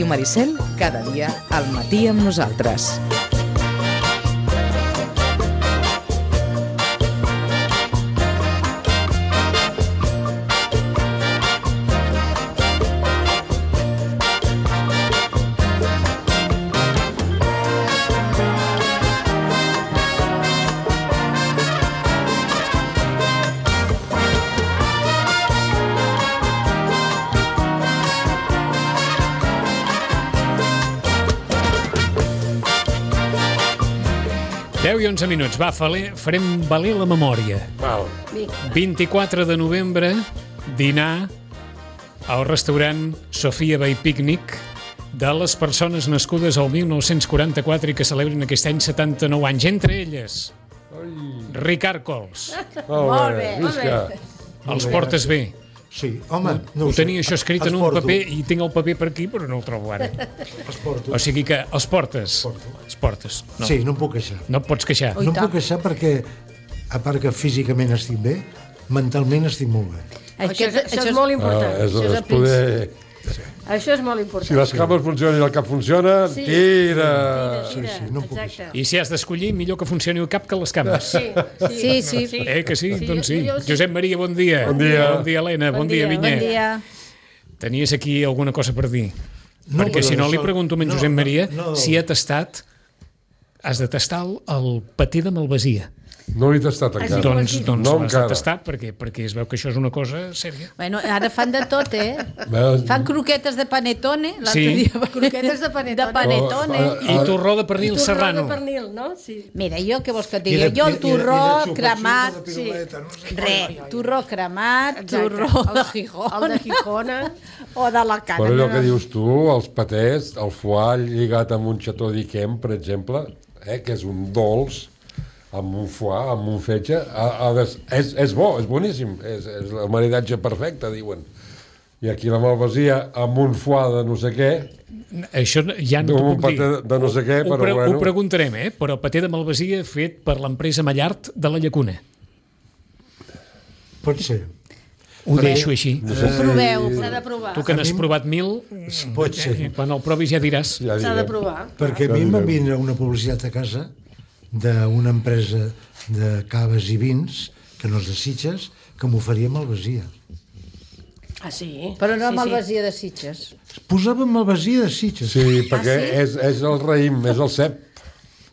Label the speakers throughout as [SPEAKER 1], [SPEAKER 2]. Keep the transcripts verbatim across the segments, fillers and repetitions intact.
[SPEAKER 1] Ràdio Maricel, cada dia al matí amb nosaltres.
[SPEAKER 2] deu i onze minuts. Va, farem valer la memòria.
[SPEAKER 3] Val.
[SPEAKER 2] vint-i-quatre de novembre, dinar al restaurant Sofia Bay Picnic de les persones nascudes al dinou quaranta-quatre i que celebren aquest any setanta-nou anys. Entre elles, Ricard Cols.
[SPEAKER 3] Molt bé, visca.
[SPEAKER 2] Els portes bé?
[SPEAKER 4] Sí, home, no
[SPEAKER 2] ho,
[SPEAKER 4] ho sé.
[SPEAKER 2] tenia això escrit en un paper i tinc el paper per aquí, però no el trobo ara.
[SPEAKER 4] Els porto.
[SPEAKER 2] O sigui que els portes.
[SPEAKER 4] Porto.
[SPEAKER 2] Els portes.
[SPEAKER 4] No. Sí, no em puc queixar.
[SPEAKER 2] No et pots queixar.
[SPEAKER 4] No em puc queixar perquè, a part que físicament estic bé, mentalment estic molt bé.
[SPEAKER 5] Això, això, això és molt important.
[SPEAKER 3] Ah, és,
[SPEAKER 5] això, és
[SPEAKER 3] és poder...
[SPEAKER 5] sí. Això és molt important.
[SPEAKER 3] Si les cames funcionen i el cap funciona,
[SPEAKER 5] sí.
[SPEAKER 3] tira!
[SPEAKER 4] Sí, sí, no em puc queixar.
[SPEAKER 2] I si has d'escollir, millor que funcioni el cap que les cames.
[SPEAKER 5] Sí, sí. sí, sí.
[SPEAKER 2] Eh, que sí?
[SPEAKER 5] sí
[SPEAKER 2] doncs sí.
[SPEAKER 5] Jo, jo,
[SPEAKER 2] Josep Maria, bon dia.
[SPEAKER 3] Bon dia.
[SPEAKER 2] Bon dia, Helena. Bon, bon dia, Vinyet.
[SPEAKER 5] Bon dia.
[SPEAKER 2] Tenies aquí alguna cosa per dir?
[SPEAKER 4] No,
[SPEAKER 2] Perquè si no,
[SPEAKER 4] això...
[SPEAKER 2] li pregunto a en
[SPEAKER 4] no,
[SPEAKER 2] Josep Maria
[SPEAKER 4] no, no.
[SPEAKER 2] si ha tastat... Has de tastar el, el patè de malvasia.
[SPEAKER 3] No l'he tastat encara.
[SPEAKER 2] Doncs, doncs
[SPEAKER 3] no
[SPEAKER 2] l'has de
[SPEAKER 3] encara.
[SPEAKER 2] tastar perquè, perquè es veu que això és una cosa sèria.
[SPEAKER 5] Bueno, ara fan de tot, eh?
[SPEAKER 3] Veus?
[SPEAKER 5] Fan croquetes de panetone.
[SPEAKER 2] Sí.
[SPEAKER 5] Dia... Croquetes de panetone. De panetone.
[SPEAKER 3] Oh,
[SPEAKER 2] I torró de pernil serrano.
[SPEAKER 6] Torró de pernil, no? Sí.
[SPEAKER 5] Mira, jo què vols que et digui? Jo el torró cremat...
[SPEAKER 4] Sí.
[SPEAKER 5] Re, torró cremat, torró de Gijona.
[SPEAKER 6] El de Gijona.
[SPEAKER 5] O d'Alacant.
[SPEAKER 3] Però allò que dius tu, els patès, el foie lligat amb un xató d'Iquem, per exemple, eh, que és un dolç, amb un foie, amb un fetge, a, a des, és, és bo, és boníssim, és, és el maridatge perfecte, diuen. I aquí la malvasia amb un foie de no sé què...
[SPEAKER 2] Això ja no t'ho puc dir.
[SPEAKER 3] De, de no sé què,
[SPEAKER 2] ho,
[SPEAKER 3] però
[SPEAKER 2] pre
[SPEAKER 3] bueno...
[SPEAKER 2] Ho preguntarem, eh? Però patè de malvasia fet per l'empresa Mallart de la Llacuna.
[SPEAKER 4] Pot ser.
[SPEAKER 2] Ho deixo així.
[SPEAKER 3] No sé
[SPEAKER 5] Ho proveu.
[SPEAKER 6] S'ha de provar.
[SPEAKER 2] Tu que n'has provat mil,
[SPEAKER 4] Pot ser.
[SPEAKER 2] quan el provis ja diràs.
[SPEAKER 3] Ja
[SPEAKER 6] S'ha de
[SPEAKER 3] direm.
[SPEAKER 6] provar.
[SPEAKER 4] Perquè a mi em va vindre una publicitat a casa d'una empresa de caves i vins, que no és de Sitges, que m'oferia malvasia.
[SPEAKER 6] Ah, sí?
[SPEAKER 5] Però no
[SPEAKER 6] sí,
[SPEAKER 5] malvasia de Sitges.
[SPEAKER 4] Posava malvasia de Sitges.
[SPEAKER 3] Sí, perquè
[SPEAKER 5] sí?
[SPEAKER 3] és, és el raïm, és el cep.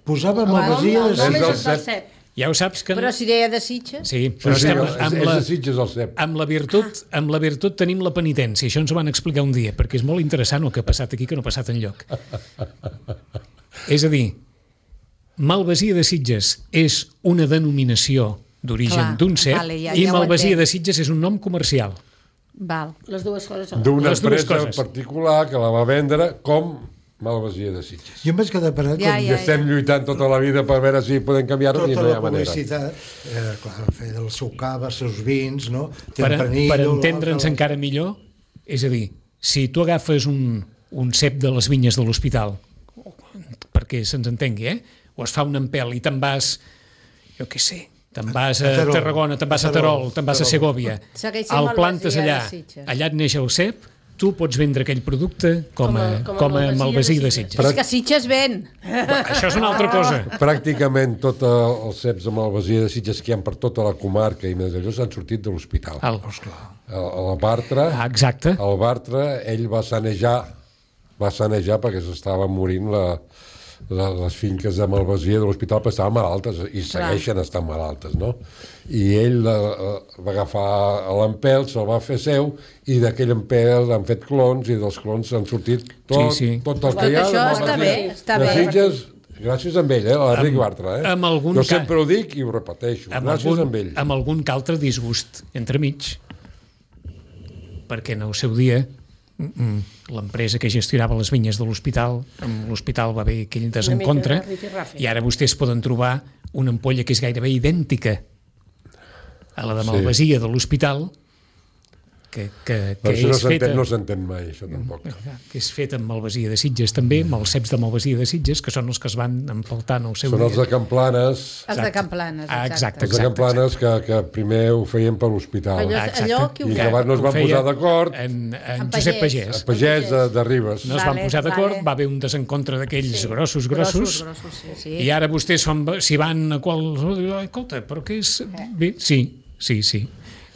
[SPEAKER 4] Posava malvasia
[SPEAKER 6] El
[SPEAKER 4] de
[SPEAKER 6] nom
[SPEAKER 3] És
[SPEAKER 6] és
[SPEAKER 3] el
[SPEAKER 6] el
[SPEAKER 3] cep.
[SPEAKER 6] cep.
[SPEAKER 2] Ja ho saps que...
[SPEAKER 5] Però si deia de Sitges...
[SPEAKER 2] Sí,
[SPEAKER 3] Sí,
[SPEAKER 2] però
[SPEAKER 3] sí,
[SPEAKER 2] estem
[SPEAKER 3] és,
[SPEAKER 2] amb
[SPEAKER 3] és
[SPEAKER 2] la...
[SPEAKER 3] de Sitges el cep.
[SPEAKER 2] Amb la, virtut, amb la virtut tenim la penitència. Això ens ho van explicar un dia, perquè és molt interessant el que ha passat aquí que no ha passat enlloc. És a dir, malvasia de Sitges és una denominació d'origen
[SPEAKER 5] Clar,
[SPEAKER 2] d'un cep
[SPEAKER 5] vale, ja-
[SPEAKER 2] i
[SPEAKER 5] ja ho
[SPEAKER 2] malvasia
[SPEAKER 5] entenc.
[SPEAKER 2] de Sitges és un nom comercial.
[SPEAKER 5] Val.
[SPEAKER 6] Les dues coses són.
[SPEAKER 3] D'una
[SPEAKER 2] Les dues
[SPEAKER 3] empresa
[SPEAKER 2] coses.
[SPEAKER 3] particular que la va vendre com malvasia de Sitges.
[SPEAKER 4] Jo em vaig quedar parat
[SPEAKER 5] Ja,
[SPEAKER 4] quan
[SPEAKER 3] I
[SPEAKER 5] ja,
[SPEAKER 3] estem lluitant tota la vida per veure si podem canviar-ho i
[SPEAKER 4] tota
[SPEAKER 3] no hi
[SPEAKER 4] la
[SPEAKER 3] ha manera.
[SPEAKER 4] publicitat, eh, clar, feia del seu cava, els seus vins, no?
[SPEAKER 2] Per,
[SPEAKER 4] Tempranillo,
[SPEAKER 2] per entendre'ns
[SPEAKER 4] l'altre-
[SPEAKER 2] encara millor, és a dir, si tu agafes un, un cep de les vinyes de l'hospital, perquè se'ns entengui, eh? O es fa un empel i te'n vas, jo què sé, te'n vas a,
[SPEAKER 4] A Terol.
[SPEAKER 2] Tarragona, te'n vas a
[SPEAKER 4] A Terol,
[SPEAKER 2] Terol, te'n vas a
[SPEAKER 4] Terol.
[SPEAKER 2] Segòvia,
[SPEAKER 5] Segueix sent
[SPEAKER 2] el
[SPEAKER 5] malvasia
[SPEAKER 2] plantes
[SPEAKER 5] de
[SPEAKER 2] allà,
[SPEAKER 5] Sitges.
[SPEAKER 2] allà et neix el cep, tu pots vendre aquell producte com a,
[SPEAKER 6] Com a- com a
[SPEAKER 2] com a
[SPEAKER 6] malvasia
[SPEAKER 2] malvasia
[SPEAKER 6] de
[SPEAKER 2] de
[SPEAKER 6] Sitges.
[SPEAKER 2] Sitges.
[SPEAKER 5] És que Sitges ven.
[SPEAKER 2] Això és una altra cosa.
[SPEAKER 3] Pràcticament tots els ceps de malvasia de Sitges que hi ha per tota la comarca i més allò s'han sortit de l'hospital.
[SPEAKER 2] El,
[SPEAKER 3] El, el Bartra,
[SPEAKER 2] ah, exacte.
[SPEAKER 3] el Bartra, ell va sanejar, va sanejar perquè s'estava morint la, la, les finques de malvasia de l'hospital, perquè estaven malaltes i segueixen estant malaltes, no? I ell la, la, va agafar l'empel, se'l va fer seu i d'aquell empel han fet clons i dels clons s'han sortit tot,
[SPEAKER 2] Sí, sí.
[SPEAKER 3] tots els
[SPEAKER 5] Tot
[SPEAKER 3] que hi ha
[SPEAKER 5] això
[SPEAKER 3] de
[SPEAKER 5] està
[SPEAKER 3] malvasia
[SPEAKER 5] bé, està
[SPEAKER 3] de
[SPEAKER 5] bé.
[SPEAKER 3] Sitges, gràcies a ell, eh, l'Enric Bartra. Eh?
[SPEAKER 2] amb algun
[SPEAKER 3] jo
[SPEAKER 2] ca-
[SPEAKER 3] sempre ho dic i ho repeteixo,
[SPEAKER 2] Amb
[SPEAKER 3] gràcies
[SPEAKER 2] algun,
[SPEAKER 3] a ell.
[SPEAKER 2] amb algun que altre disgust entremig, perquè en el seu dia mm, l'empresa que gestionava les vinyes de l'hospital, amb l'hospital va haver aquell desencontre,
[SPEAKER 6] Una mica rifirrafe.
[SPEAKER 2] i ara vostès poden trobar una ampolla que és gairebé idèntica a la de malvasia de l'hospital, que, que, que
[SPEAKER 3] Però això no
[SPEAKER 2] és feta...
[SPEAKER 3] s'entén, no s'entén mai, això tampoc.
[SPEAKER 2] que és feta amb Malvasia de Sitges també, amb els ceps de Malvasia de Sitges, que són els que es van empaltant al seu
[SPEAKER 3] Són els
[SPEAKER 2] dia.
[SPEAKER 3] de Camplanes,
[SPEAKER 5] Els de Camplanes,
[SPEAKER 2] Ah,
[SPEAKER 5] exacte.
[SPEAKER 2] exacte.
[SPEAKER 3] els de Camplanes que, que primer ho feien per l'hospital.
[SPEAKER 5] Allò,
[SPEAKER 2] exacte.
[SPEAKER 5] allò que ho
[SPEAKER 3] I que
[SPEAKER 5] fa.
[SPEAKER 3] abans no es
[SPEAKER 2] Ho
[SPEAKER 3] van
[SPEAKER 2] feia
[SPEAKER 3] posar d'acord,
[SPEAKER 2] En, en
[SPEAKER 5] En
[SPEAKER 2] Josep
[SPEAKER 5] Pagès.
[SPEAKER 2] Pagès.
[SPEAKER 3] a Pagès de, de Ribes.
[SPEAKER 2] No es van
[SPEAKER 5] Vale,
[SPEAKER 2] posar d'acord,
[SPEAKER 5] vale.
[SPEAKER 2] va haver un desencontre d'aquells
[SPEAKER 5] Sí.
[SPEAKER 2] grossos, grossos,
[SPEAKER 5] grossos, sí, sí.
[SPEAKER 2] i ara vostès són, si van a qual... Escolta, però què és... Bé, sí, sí, sí.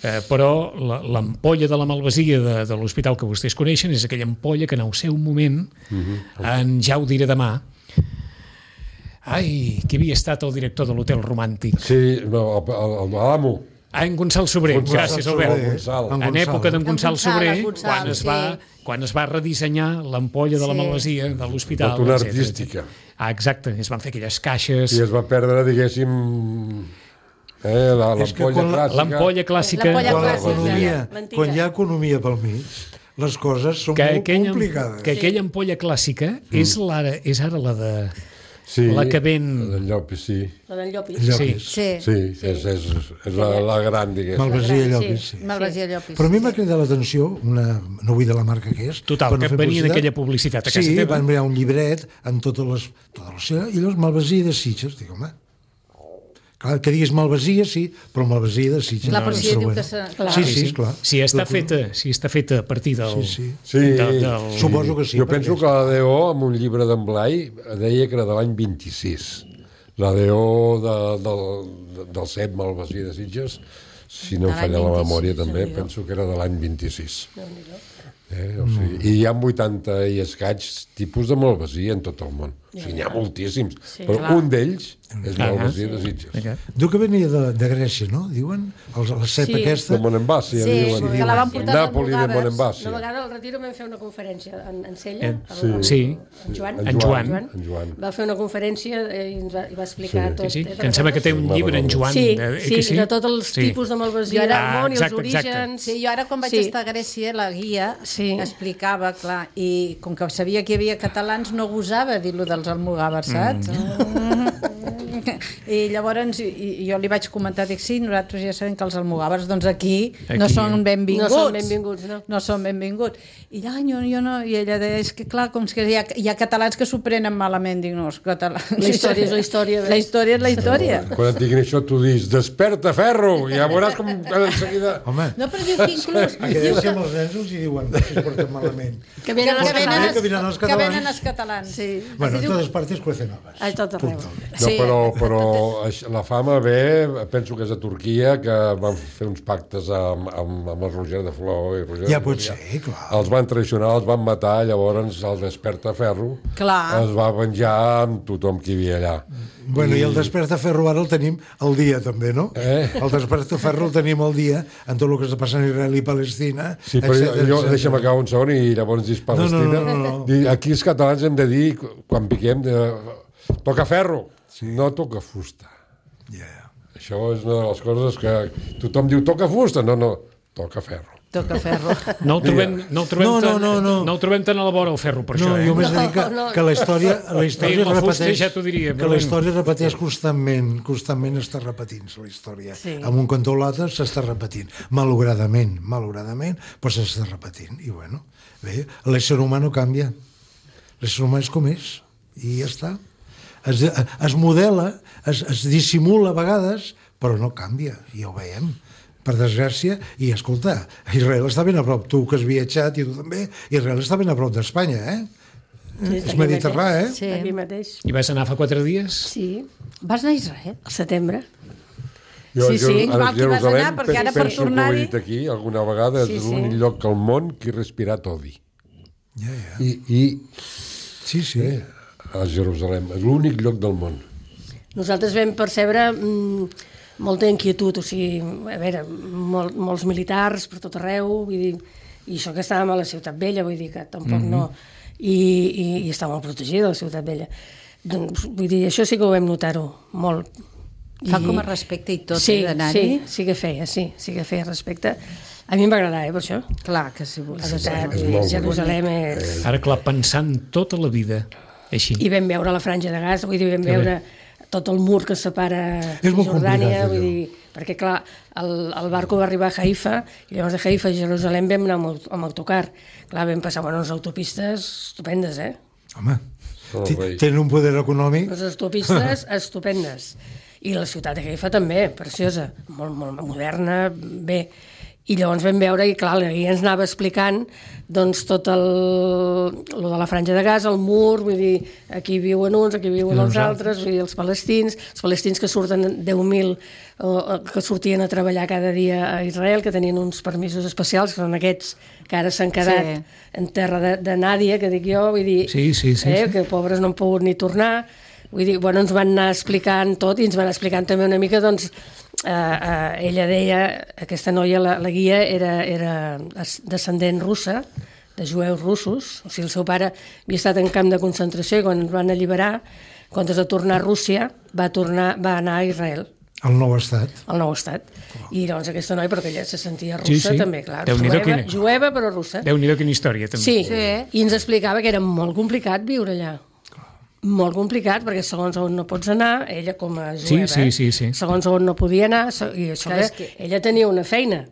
[SPEAKER 2] Eh, però la- l'ampolla de la malvasia de, de l'hospital que vostès coneixen és aquella ampolla que en el seu moment, en ja ho diré demà, ai, qui havia estat el director de l'Hotel Romàntic?
[SPEAKER 3] Sí, no, el- el- el- l'amo.
[SPEAKER 2] Ah, en Gonçal Sobrer,
[SPEAKER 3] Gonçal
[SPEAKER 2] gràcies
[SPEAKER 3] Sobrer,
[SPEAKER 2] Albert.
[SPEAKER 3] Gonçal.
[SPEAKER 4] En
[SPEAKER 2] En
[SPEAKER 4] Gonçal.
[SPEAKER 2] època d'en
[SPEAKER 5] En
[SPEAKER 2] Gonçal
[SPEAKER 5] Gonçal,
[SPEAKER 2] Sobrer,
[SPEAKER 5] en Gonçal,
[SPEAKER 2] quan es, va,
[SPEAKER 5] sí.
[SPEAKER 2] quan es va redissenyar l'ampolla de la
[SPEAKER 5] Sí.
[SPEAKER 2] malvasia de l'hospital.
[SPEAKER 3] Tota una
[SPEAKER 2] etcètera,
[SPEAKER 3] artística.
[SPEAKER 2] etcètera. Ah, exacte, es van fer aquelles caixes.
[SPEAKER 3] I es va perdre, diguéssim, eh, la-
[SPEAKER 4] És que
[SPEAKER 3] l'ampolla
[SPEAKER 4] quan la-
[SPEAKER 3] clàssica.
[SPEAKER 2] L'ampolla clàssica.
[SPEAKER 5] L'ampolla
[SPEAKER 4] Quan
[SPEAKER 5] clàssica.
[SPEAKER 4] l'economia,
[SPEAKER 6] L'antiga.
[SPEAKER 4] quan hi ha economia pel mig, les coses són
[SPEAKER 2] que
[SPEAKER 4] molt
[SPEAKER 2] aquella,
[SPEAKER 4] complicades.
[SPEAKER 2] que aquella ampolla clàssica és, l'ara, és ara la de...
[SPEAKER 3] Sí,
[SPEAKER 2] la que ven-
[SPEAKER 3] la del Llopis, sí.
[SPEAKER 6] La d'en Llopis.
[SPEAKER 4] Llopis.
[SPEAKER 5] Sí,
[SPEAKER 3] Sí, és, és, és la, la gran, diguéssim.
[SPEAKER 4] Malvasia
[SPEAKER 6] Sí.
[SPEAKER 4] Llopis, sí.
[SPEAKER 5] Malvasia Llopis.
[SPEAKER 4] Però a mi m'ha cridat l'atenció, una, no vull dir la marca que és...
[SPEAKER 2] Total,
[SPEAKER 4] per no
[SPEAKER 2] que
[SPEAKER 4] fer
[SPEAKER 2] venia
[SPEAKER 4] publicitat.
[SPEAKER 2] d'aquella publicitat a casa
[SPEAKER 4] sí,
[SPEAKER 2] teva.
[SPEAKER 4] van enviar un llibret amb totes les... Totes les i llavors Malvasia de Sitges. Dic, home, clar, que diguis Malvasia, sí, però Malvasia de Sitges.
[SPEAKER 5] Clar, però si ell diu
[SPEAKER 4] bueno.
[SPEAKER 5] que s'ha-
[SPEAKER 6] Clar.
[SPEAKER 4] Sí, sí, clar.
[SPEAKER 2] Si està,
[SPEAKER 4] Clar,
[SPEAKER 2] feta, si està feta a partir del...
[SPEAKER 4] Sí, sí.
[SPEAKER 3] Sí,
[SPEAKER 2] de- del-
[SPEAKER 4] Suposo que sí.
[SPEAKER 3] jo
[SPEAKER 4] perquè
[SPEAKER 3] penso
[SPEAKER 4] és-
[SPEAKER 3] que la D O, amb un llibre d'en Blai, deia que era de l'any vint-i-sis. La D O de, del, del C E P Malvasia de Sitges, si no
[SPEAKER 5] De
[SPEAKER 3] em
[SPEAKER 5] l'any
[SPEAKER 3] falla la
[SPEAKER 5] vint-i-sis,
[SPEAKER 3] memòria també,
[SPEAKER 6] Déu-n'hi-do.
[SPEAKER 3] penso que era de l'any vint-i-sis. Eh? O sigui, I hi ha vuitanta i escaig tipus de malvasia en tot el món. O sigui, n'hi ha moltíssims. Però
[SPEAKER 5] clar.
[SPEAKER 3] un d'ells és
[SPEAKER 2] Ah,
[SPEAKER 3] malvasia de Sitges.
[SPEAKER 4] Diu que venia de, de Grècia, no? Diuen? Els, la cepa
[SPEAKER 6] Sí.
[SPEAKER 4] aquesta...
[SPEAKER 3] De Monembasia,
[SPEAKER 5] Sí,
[SPEAKER 3] diuen.
[SPEAKER 5] que la van portar
[SPEAKER 3] Nàpoli de
[SPEAKER 5] d'Almogàvers.
[SPEAKER 3] Monembasia.
[SPEAKER 6] Una vegada al Retiro vam fer una conferència en, en Sella,
[SPEAKER 2] Eh,
[SPEAKER 6] el-
[SPEAKER 3] sí.
[SPEAKER 6] el-
[SPEAKER 2] Sí.
[SPEAKER 6] en Joan.
[SPEAKER 3] En
[SPEAKER 2] En Joan.
[SPEAKER 3] En Joan.
[SPEAKER 6] Va fer una conferència eh, i ens va, i va explicar
[SPEAKER 3] Sí.
[SPEAKER 6] tot.
[SPEAKER 2] Sí, sí,
[SPEAKER 6] eh,
[SPEAKER 2] que em sembla que té un llibre en Joan.
[SPEAKER 6] Sí,
[SPEAKER 2] eh,
[SPEAKER 6] sí,
[SPEAKER 2] que sí?
[SPEAKER 6] de tots els
[SPEAKER 2] Sí.
[SPEAKER 6] tipus de malvasia
[SPEAKER 5] Jo
[SPEAKER 6] del
[SPEAKER 5] ara-
[SPEAKER 6] món i els
[SPEAKER 2] Ah, exacte, exacte.
[SPEAKER 6] orígens.
[SPEAKER 5] Sí, jo ara quan vaig
[SPEAKER 6] Sí.
[SPEAKER 5] estar a Grècia, la guia
[SPEAKER 6] Sí.
[SPEAKER 5] explicava, clar, i com que sabia que hi havia catalans, no gosava dir-lo dels almogàvers, saps? Mm. I llavors i, i jo li vaig comentar, dic, sí, nosaltres ja sabem que els almogàvers, doncs aquí,
[SPEAKER 2] Aquí.
[SPEAKER 5] no són benvinguts.
[SPEAKER 6] No són benvinguts, no.
[SPEAKER 5] No són benvinguts. I ja, jo, jo no, i ella deia, és que clar, com que hi ha, hi ha catalans que s'ho prenen malament, dic, no, els catalans...
[SPEAKER 6] La història és la història.
[SPEAKER 5] La història és la història.
[SPEAKER 3] Quan et diguin això, tu dis, desperta, ferro! I ja veuràs com en seguida...
[SPEAKER 4] Home,
[SPEAKER 5] No, però diu que inclús...
[SPEAKER 4] a
[SPEAKER 5] diu
[SPEAKER 4] Grècia
[SPEAKER 5] que,
[SPEAKER 4] amb els nens els hi diuen que es porten malament.
[SPEAKER 6] Que
[SPEAKER 5] que,
[SPEAKER 6] venen els
[SPEAKER 5] que, venen
[SPEAKER 6] catalans.
[SPEAKER 5] els,
[SPEAKER 4] que venen els
[SPEAKER 5] que
[SPEAKER 4] catalans.
[SPEAKER 5] venen els catalans.
[SPEAKER 6] Sí.
[SPEAKER 4] Bueno, en totes partes cuecen habas.
[SPEAKER 6] A tot arreu.
[SPEAKER 3] No, però, però això- la fama ve, penso que és a Turquia, que van fer uns pactes amb, amb, amb el Roger de Flor. I Roger
[SPEAKER 4] Ja
[SPEAKER 3] de
[SPEAKER 4] pot
[SPEAKER 3] Flor,
[SPEAKER 4] ser, clar.
[SPEAKER 3] Els van traicionar, els van matar, llavors el Despertaferro
[SPEAKER 5] Clar.
[SPEAKER 3] es va venjar amb tothom que hi havia allà.
[SPEAKER 4] Bueno, i el Despertaferro ara el tenim al dia, també, no?
[SPEAKER 3] Eh?
[SPEAKER 4] El Despertaferro el tenim al dia en tot el que està passant a Israel i Palestina,
[SPEAKER 3] Sí, però
[SPEAKER 4] etcètera,
[SPEAKER 3] jo, jo
[SPEAKER 4] etcètera.
[SPEAKER 3] deixa'm acabar un segon i llavors dis Palestina.
[SPEAKER 4] no, no, no, no.
[SPEAKER 3] Dir, aquí els catalans hem de dir, quan piquem, de, toca ferro, sí. no toca fusta.
[SPEAKER 4] Yeah.
[SPEAKER 3] Això és una de les coses que tothom diu, toca fusta, no, no, toca ferro.
[SPEAKER 5] Toca ferro.
[SPEAKER 2] No el trobem, no el trobem,
[SPEAKER 4] No, no,
[SPEAKER 2] tan,
[SPEAKER 4] no, no.
[SPEAKER 2] no el trobem tan a la vora el ferro, per
[SPEAKER 4] No,
[SPEAKER 2] això. Eh?
[SPEAKER 4] jo més dic que,
[SPEAKER 6] No, no.
[SPEAKER 4] que la història, la història
[SPEAKER 2] Feien la fusta
[SPEAKER 4] repeteix,
[SPEAKER 2] i ja t'ho diria,
[SPEAKER 4] que
[SPEAKER 2] però
[SPEAKER 4] la
[SPEAKER 2] bueno.
[SPEAKER 4] història repeteix constantment, constantment està repetint-se la història.
[SPEAKER 6] Sí.
[SPEAKER 4] Amb un cantó o l'altre s'està repetint, malauradament, malauradament, però s'està repetint. I bueno, bé, l'ésser humà no canvia. L'ésser humà és com és, i ja està. Es, es modela, es, es dissimula a vegades, però no canvia, i ja ho veiem, per desgràcia. I escolta, Israel està ben a prop, tu que has viatjat i tu també, Israel està ben a prop d'Espanya, eh?
[SPEAKER 6] Sí,
[SPEAKER 4] És mediterrani, eh?
[SPEAKER 5] Sí.
[SPEAKER 6] Aquí mateix.
[SPEAKER 2] I vas anar fa quatre dies?
[SPEAKER 6] Sí,
[SPEAKER 5] Vas anar a Israel?
[SPEAKER 6] al setembre.
[SPEAKER 3] Jo,
[SPEAKER 5] Sí, sí,
[SPEAKER 3] a
[SPEAKER 5] igual que vas
[SPEAKER 3] Jerusalem
[SPEAKER 5] anar, perquè ara per
[SPEAKER 3] penso que ho he
[SPEAKER 5] tornar-hi-
[SPEAKER 3] dit aquí alguna vegada,
[SPEAKER 6] Sí,
[SPEAKER 3] és
[SPEAKER 6] sí.
[SPEAKER 3] l'únic lloc al món que he respirat odi.
[SPEAKER 4] Ja, ja.
[SPEAKER 3] I, i
[SPEAKER 4] Sí, sí.
[SPEAKER 3] eh, a Jerusalem, és l'únic lloc del món.
[SPEAKER 6] Nosaltres vam percebre mm, molta inquietud, o sigui, a veure, mol, molts militars per tot arreu, vull dir, i això que estàvem a la Ciutat Vella, vull dir que tampoc mm -hmm. no... I, i, i està molt protegida la Ciutat Vella. Doncs, vull dir, això sí que ho vam notar-ho molt.
[SPEAKER 5] Fa com a respecte i tot,
[SPEAKER 6] sí,
[SPEAKER 5] eh, d'anar-hi?
[SPEAKER 6] Sí, sí que feia, sí, sí que feia respecte. A mi em va agradar, eh, per això.
[SPEAKER 5] Clar que sí.
[SPEAKER 6] La
[SPEAKER 5] sí,
[SPEAKER 6] ciutat,
[SPEAKER 3] és
[SPEAKER 6] vull dir,
[SPEAKER 3] molt
[SPEAKER 6] Jerusalem és...
[SPEAKER 2] Ara, clar, pensant tota la vida així.
[SPEAKER 6] I vam veure la franja de gas, vull dir, vam veure tot el mur que separa
[SPEAKER 4] És molt
[SPEAKER 6] Jordània,
[SPEAKER 4] complicat,
[SPEAKER 6] vull
[SPEAKER 4] allò.
[SPEAKER 6] dir, perquè clar, el, el barco va arribar a Haifa i llavors de Haifa a Jerusalem vam anar amb, aut- amb autocar. Clar, vam passar bueno, unes autopistes estupendes, eh?
[SPEAKER 4] Home,
[SPEAKER 3] Molt
[SPEAKER 4] t-
[SPEAKER 3] bé.
[SPEAKER 4] tenen un poder econòmic.
[SPEAKER 6] Les autopistes estupendes. I la ciutat de Haifa també, preciosa, molt, molt moderna, bé. I llavors vam veure, i clar, i ens anava explicant doncs, tot el, lo de la franja de Gaza, el mur, vull dir, aquí viuen uns, aquí viuen els altres, vull dir, els palestins, els palestins que surten deu mil, o, o, que sortien a treballar cada dia a Israel, que tenien uns permisos especials, que són aquests que ara s'han quedat
[SPEAKER 5] Sí.
[SPEAKER 6] en terra de, de Nàdia, que dic jo, vull dir,
[SPEAKER 2] Sí, sí, sí,
[SPEAKER 6] eh,
[SPEAKER 2] sí.
[SPEAKER 6] que pobres no han pogut ni tornar. Vull dir, bueno, ens van anar explicant tot i ens van explicant també una mica, doncs, eh, eh, ella deia, aquesta noia, la, la guia, era, era es- descendent russa, de jueus russos, o sigui, el seu pare havia estat en camp de concentració i quan ens van alliberar, en comptes de tornar a Rússia, va, tornar, va anar a Israel,
[SPEAKER 4] El nou estat.
[SPEAKER 6] al nou estat. I llavors aquesta noia, perquè ella se sentia russa
[SPEAKER 2] Sí, sí.
[SPEAKER 6] també, clar,
[SPEAKER 2] Déu-n'hi-do
[SPEAKER 6] jueva,
[SPEAKER 2] quina-
[SPEAKER 6] jueva però russa.
[SPEAKER 2] Déu-n'hi-do quina història, també.
[SPEAKER 6] Sí,
[SPEAKER 5] Sí.
[SPEAKER 6] i ens explicava que era molt complicat viure allà. Molt complicat, perquè segons on no pots anar, ella com a
[SPEAKER 2] Sí,
[SPEAKER 6] jueva,
[SPEAKER 2] sí, sí, sí.
[SPEAKER 6] segons on no podia anar, se- i això
[SPEAKER 5] Clar,
[SPEAKER 6] que,
[SPEAKER 5] és que-
[SPEAKER 6] ella tenia una feina.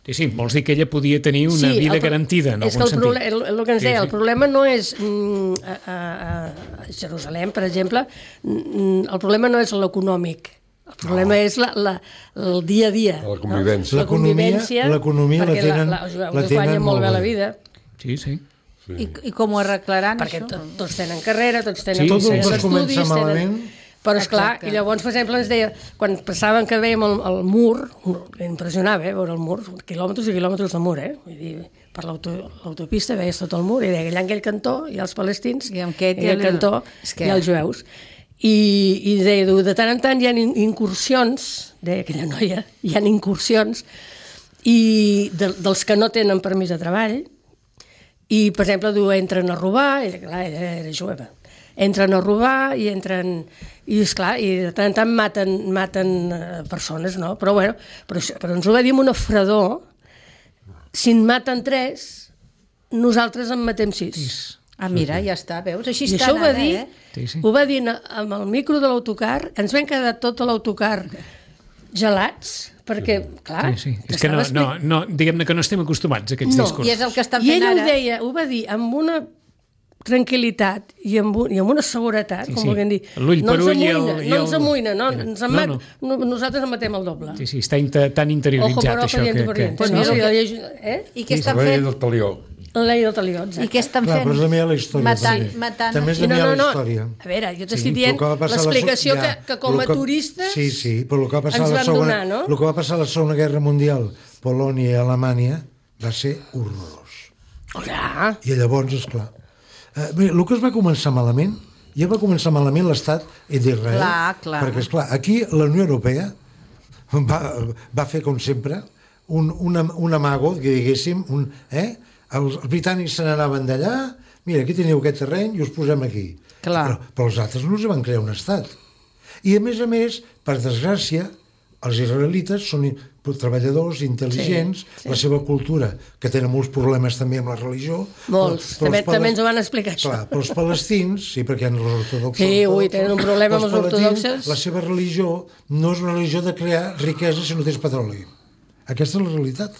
[SPEAKER 2] Sí, sí, vols dir que ella podia tenir una
[SPEAKER 6] Sí,
[SPEAKER 2] vida
[SPEAKER 6] el pro-
[SPEAKER 2] garantida, en
[SPEAKER 6] és que
[SPEAKER 2] algun
[SPEAKER 6] el, proble-
[SPEAKER 2] sentit.
[SPEAKER 6] el, el que ens
[SPEAKER 2] Sí,
[SPEAKER 6] deia,
[SPEAKER 2] sí.
[SPEAKER 6] el problema no és mm, a, a, a Jerusalem, per exemple, mm, el problema no és l'econòmic, el problema no. és la, la, el dia a dia.
[SPEAKER 3] La convivència.
[SPEAKER 6] No? La
[SPEAKER 4] L'economia-
[SPEAKER 6] convivència,
[SPEAKER 4] l'economia la
[SPEAKER 6] perquè
[SPEAKER 4] tenen-
[SPEAKER 6] la, la, els jueus
[SPEAKER 4] la
[SPEAKER 6] es guanyen
[SPEAKER 4] tenen
[SPEAKER 6] molt
[SPEAKER 4] molt
[SPEAKER 6] bé la
[SPEAKER 4] bé.
[SPEAKER 6] vida,
[SPEAKER 2] Sí, sí.
[SPEAKER 5] I, I com ho arreglaran,
[SPEAKER 6] perquè
[SPEAKER 5] això?
[SPEAKER 6] to, tots tenen carrera, tots tenen,
[SPEAKER 2] Sí,
[SPEAKER 6] tots
[SPEAKER 2] sí,
[SPEAKER 6] tenen
[SPEAKER 2] sí.
[SPEAKER 4] Tot comença
[SPEAKER 6] estudis,
[SPEAKER 4] malament.
[SPEAKER 6] tenen... Però, esclar,
[SPEAKER 5] Exacte.
[SPEAKER 6] i llavors, per exemple, ens deia, quan passaven que veiem el, el mur, impressionava, eh, veure el mur, quilòmetres i quilòmetres de mur, eh? Vull dir, per l'auto, l'autopista veies tot el mur, i deia que allà en aquell cantó hi ha els palestins,
[SPEAKER 5] I amb aquest
[SPEAKER 6] i
[SPEAKER 5] hi ha
[SPEAKER 6] aquell
[SPEAKER 5] el-
[SPEAKER 6] cantó
[SPEAKER 5] és que-
[SPEAKER 6] hi ha els jueus. I, i deia, du, de tant en tant hi ha in- incursions, deia aquella noia, hi ha incursions, i de, dels que no tenen permís de treball, i, per exemple, diu, entren a robar, ella, clar, ella era jueva, entren a robar i entren... I, esclar, i de tant en tant maten, maten eh, persones, no? Però, bueno, però, això- però ens ho va dir amb una fredor, si en maten tres, nosaltres en matem sis.
[SPEAKER 5] Ah, mira, ja està, veus? Així
[SPEAKER 6] I
[SPEAKER 5] està
[SPEAKER 6] això ho va
[SPEAKER 5] ara,
[SPEAKER 6] dir,
[SPEAKER 5] eh?
[SPEAKER 2] Sí, sí.
[SPEAKER 6] ho va dir na- amb el micro de l'autocar, ens vam quedar tot l'autocar gelats, perquè, clar...
[SPEAKER 2] Sí, sí. És que no,
[SPEAKER 6] estava
[SPEAKER 2] no, no, diguem-ne que no estem acostumats a aquests
[SPEAKER 6] No,
[SPEAKER 2] discursos.
[SPEAKER 5] I és el que estan
[SPEAKER 6] I
[SPEAKER 5] fent
[SPEAKER 6] ella
[SPEAKER 5] ara.
[SPEAKER 6] ho deia, ho va dir amb una tranquil·litat i amb, un, i amb una seguretat,
[SPEAKER 2] Sí,
[SPEAKER 6] com
[SPEAKER 2] sí.
[SPEAKER 6] vulguem dir.
[SPEAKER 2] L'ull
[SPEAKER 6] no
[SPEAKER 2] per
[SPEAKER 6] ens
[SPEAKER 2] ull i el-
[SPEAKER 6] amoïna,
[SPEAKER 2] i
[SPEAKER 6] no
[SPEAKER 2] el-
[SPEAKER 6] ens amoïna, no,
[SPEAKER 2] Mira,
[SPEAKER 6] ens en
[SPEAKER 2] no,
[SPEAKER 6] mat,
[SPEAKER 2] no.
[SPEAKER 6] no. nosaltres en matem el doble.
[SPEAKER 2] Sí, sí, està inter, tan
[SPEAKER 6] Ojo
[SPEAKER 2] interioritzat,
[SPEAKER 6] per ojo,
[SPEAKER 2] això.
[SPEAKER 6] diente
[SPEAKER 2] Que,
[SPEAKER 6] per
[SPEAKER 2] que...
[SPEAKER 6] diente.
[SPEAKER 5] Pues
[SPEAKER 6] No,
[SPEAKER 5] mira
[SPEAKER 6] sí,
[SPEAKER 5] el
[SPEAKER 6] la
[SPEAKER 5] que-
[SPEAKER 6] llei- eh?
[SPEAKER 5] I què estan
[SPEAKER 3] La llei
[SPEAKER 5] fent?
[SPEAKER 3] del talió.
[SPEAKER 6] La llei del talió, exacte.
[SPEAKER 5] I què estan
[SPEAKER 4] Clar,
[SPEAKER 5] fent?
[SPEAKER 4] però també hi ha la història.
[SPEAKER 5] Matant,
[SPEAKER 4] també.
[SPEAKER 5] matant.
[SPEAKER 4] També és
[SPEAKER 6] I
[SPEAKER 4] també hi ha
[SPEAKER 6] no,
[SPEAKER 4] la
[SPEAKER 6] no, no.
[SPEAKER 4] història.
[SPEAKER 6] A veure, jo t'estic
[SPEAKER 4] Sí,
[SPEAKER 6] dient
[SPEAKER 4] el que va passar a la
[SPEAKER 6] l'explicació
[SPEAKER 4] so-
[SPEAKER 6] que,
[SPEAKER 4] ja,
[SPEAKER 6] que com a
[SPEAKER 4] el que-
[SPEAKER 6] turistes
[SPEAKER 4] sí, sí, però el que va passar
[SPEAKER 6] ens
[SPEAKER 4] a la
[SPEAKER 6] van
[SPEAKER 4] segona,
[SPEAKER 6] donar, no?
[SPEAKER 4] el que va passar a la segona guerra mundial, Polònia i Alemanya, va ser horrorós.
[SPEAKER 6] Clar,
[SPEAKER 4] I llavors, esclar, eh, bé, el que es va començar malament, ja va començar malament l'estat d'Israel.
[SPEAKER 5] Clar, clar.
[SPEAKER 4] Perquè, esclar, aquí la Unió Europea va, va fer, com sempre, un, un, am- un amago, que diguéssim, un, eh? els, els britànics se n'anaven d'allà, mira, aquí teniu aquest terreny i us posem aquí.
[SPEAKER 5] Clar.
[SPEAKER 4] Però, però els altres no els van crear un estat. I, a més a més, per desgràcia, els israelites són i- treballadors, intel·ligents,
[SPEAKER 6] Sí, sí.
[SPEAKER 4] la seva cultura, que tenen molts problemes també amb la religió.
[SPEAKER 6] molts.
[SPEAKER 4] Però- però
[SPEAKER 6] També,
[SPEAKER 4] els pales-
[SPEAKER 6] també ens ho van explicar, això.
[SPEAKER 4] Clar, però els palestins, sí, perquè hi ha els ortodoxos...
[SPEAKER 6] Sí, ui, tenen un problema amb els
[SPEAKER 4] palestins,
[SPEAKER 6] ortodoxos.
[SPEAKER 4] La seva religió no és una religió de crear riquesa si no tens petroli. Aquesta és la realitat.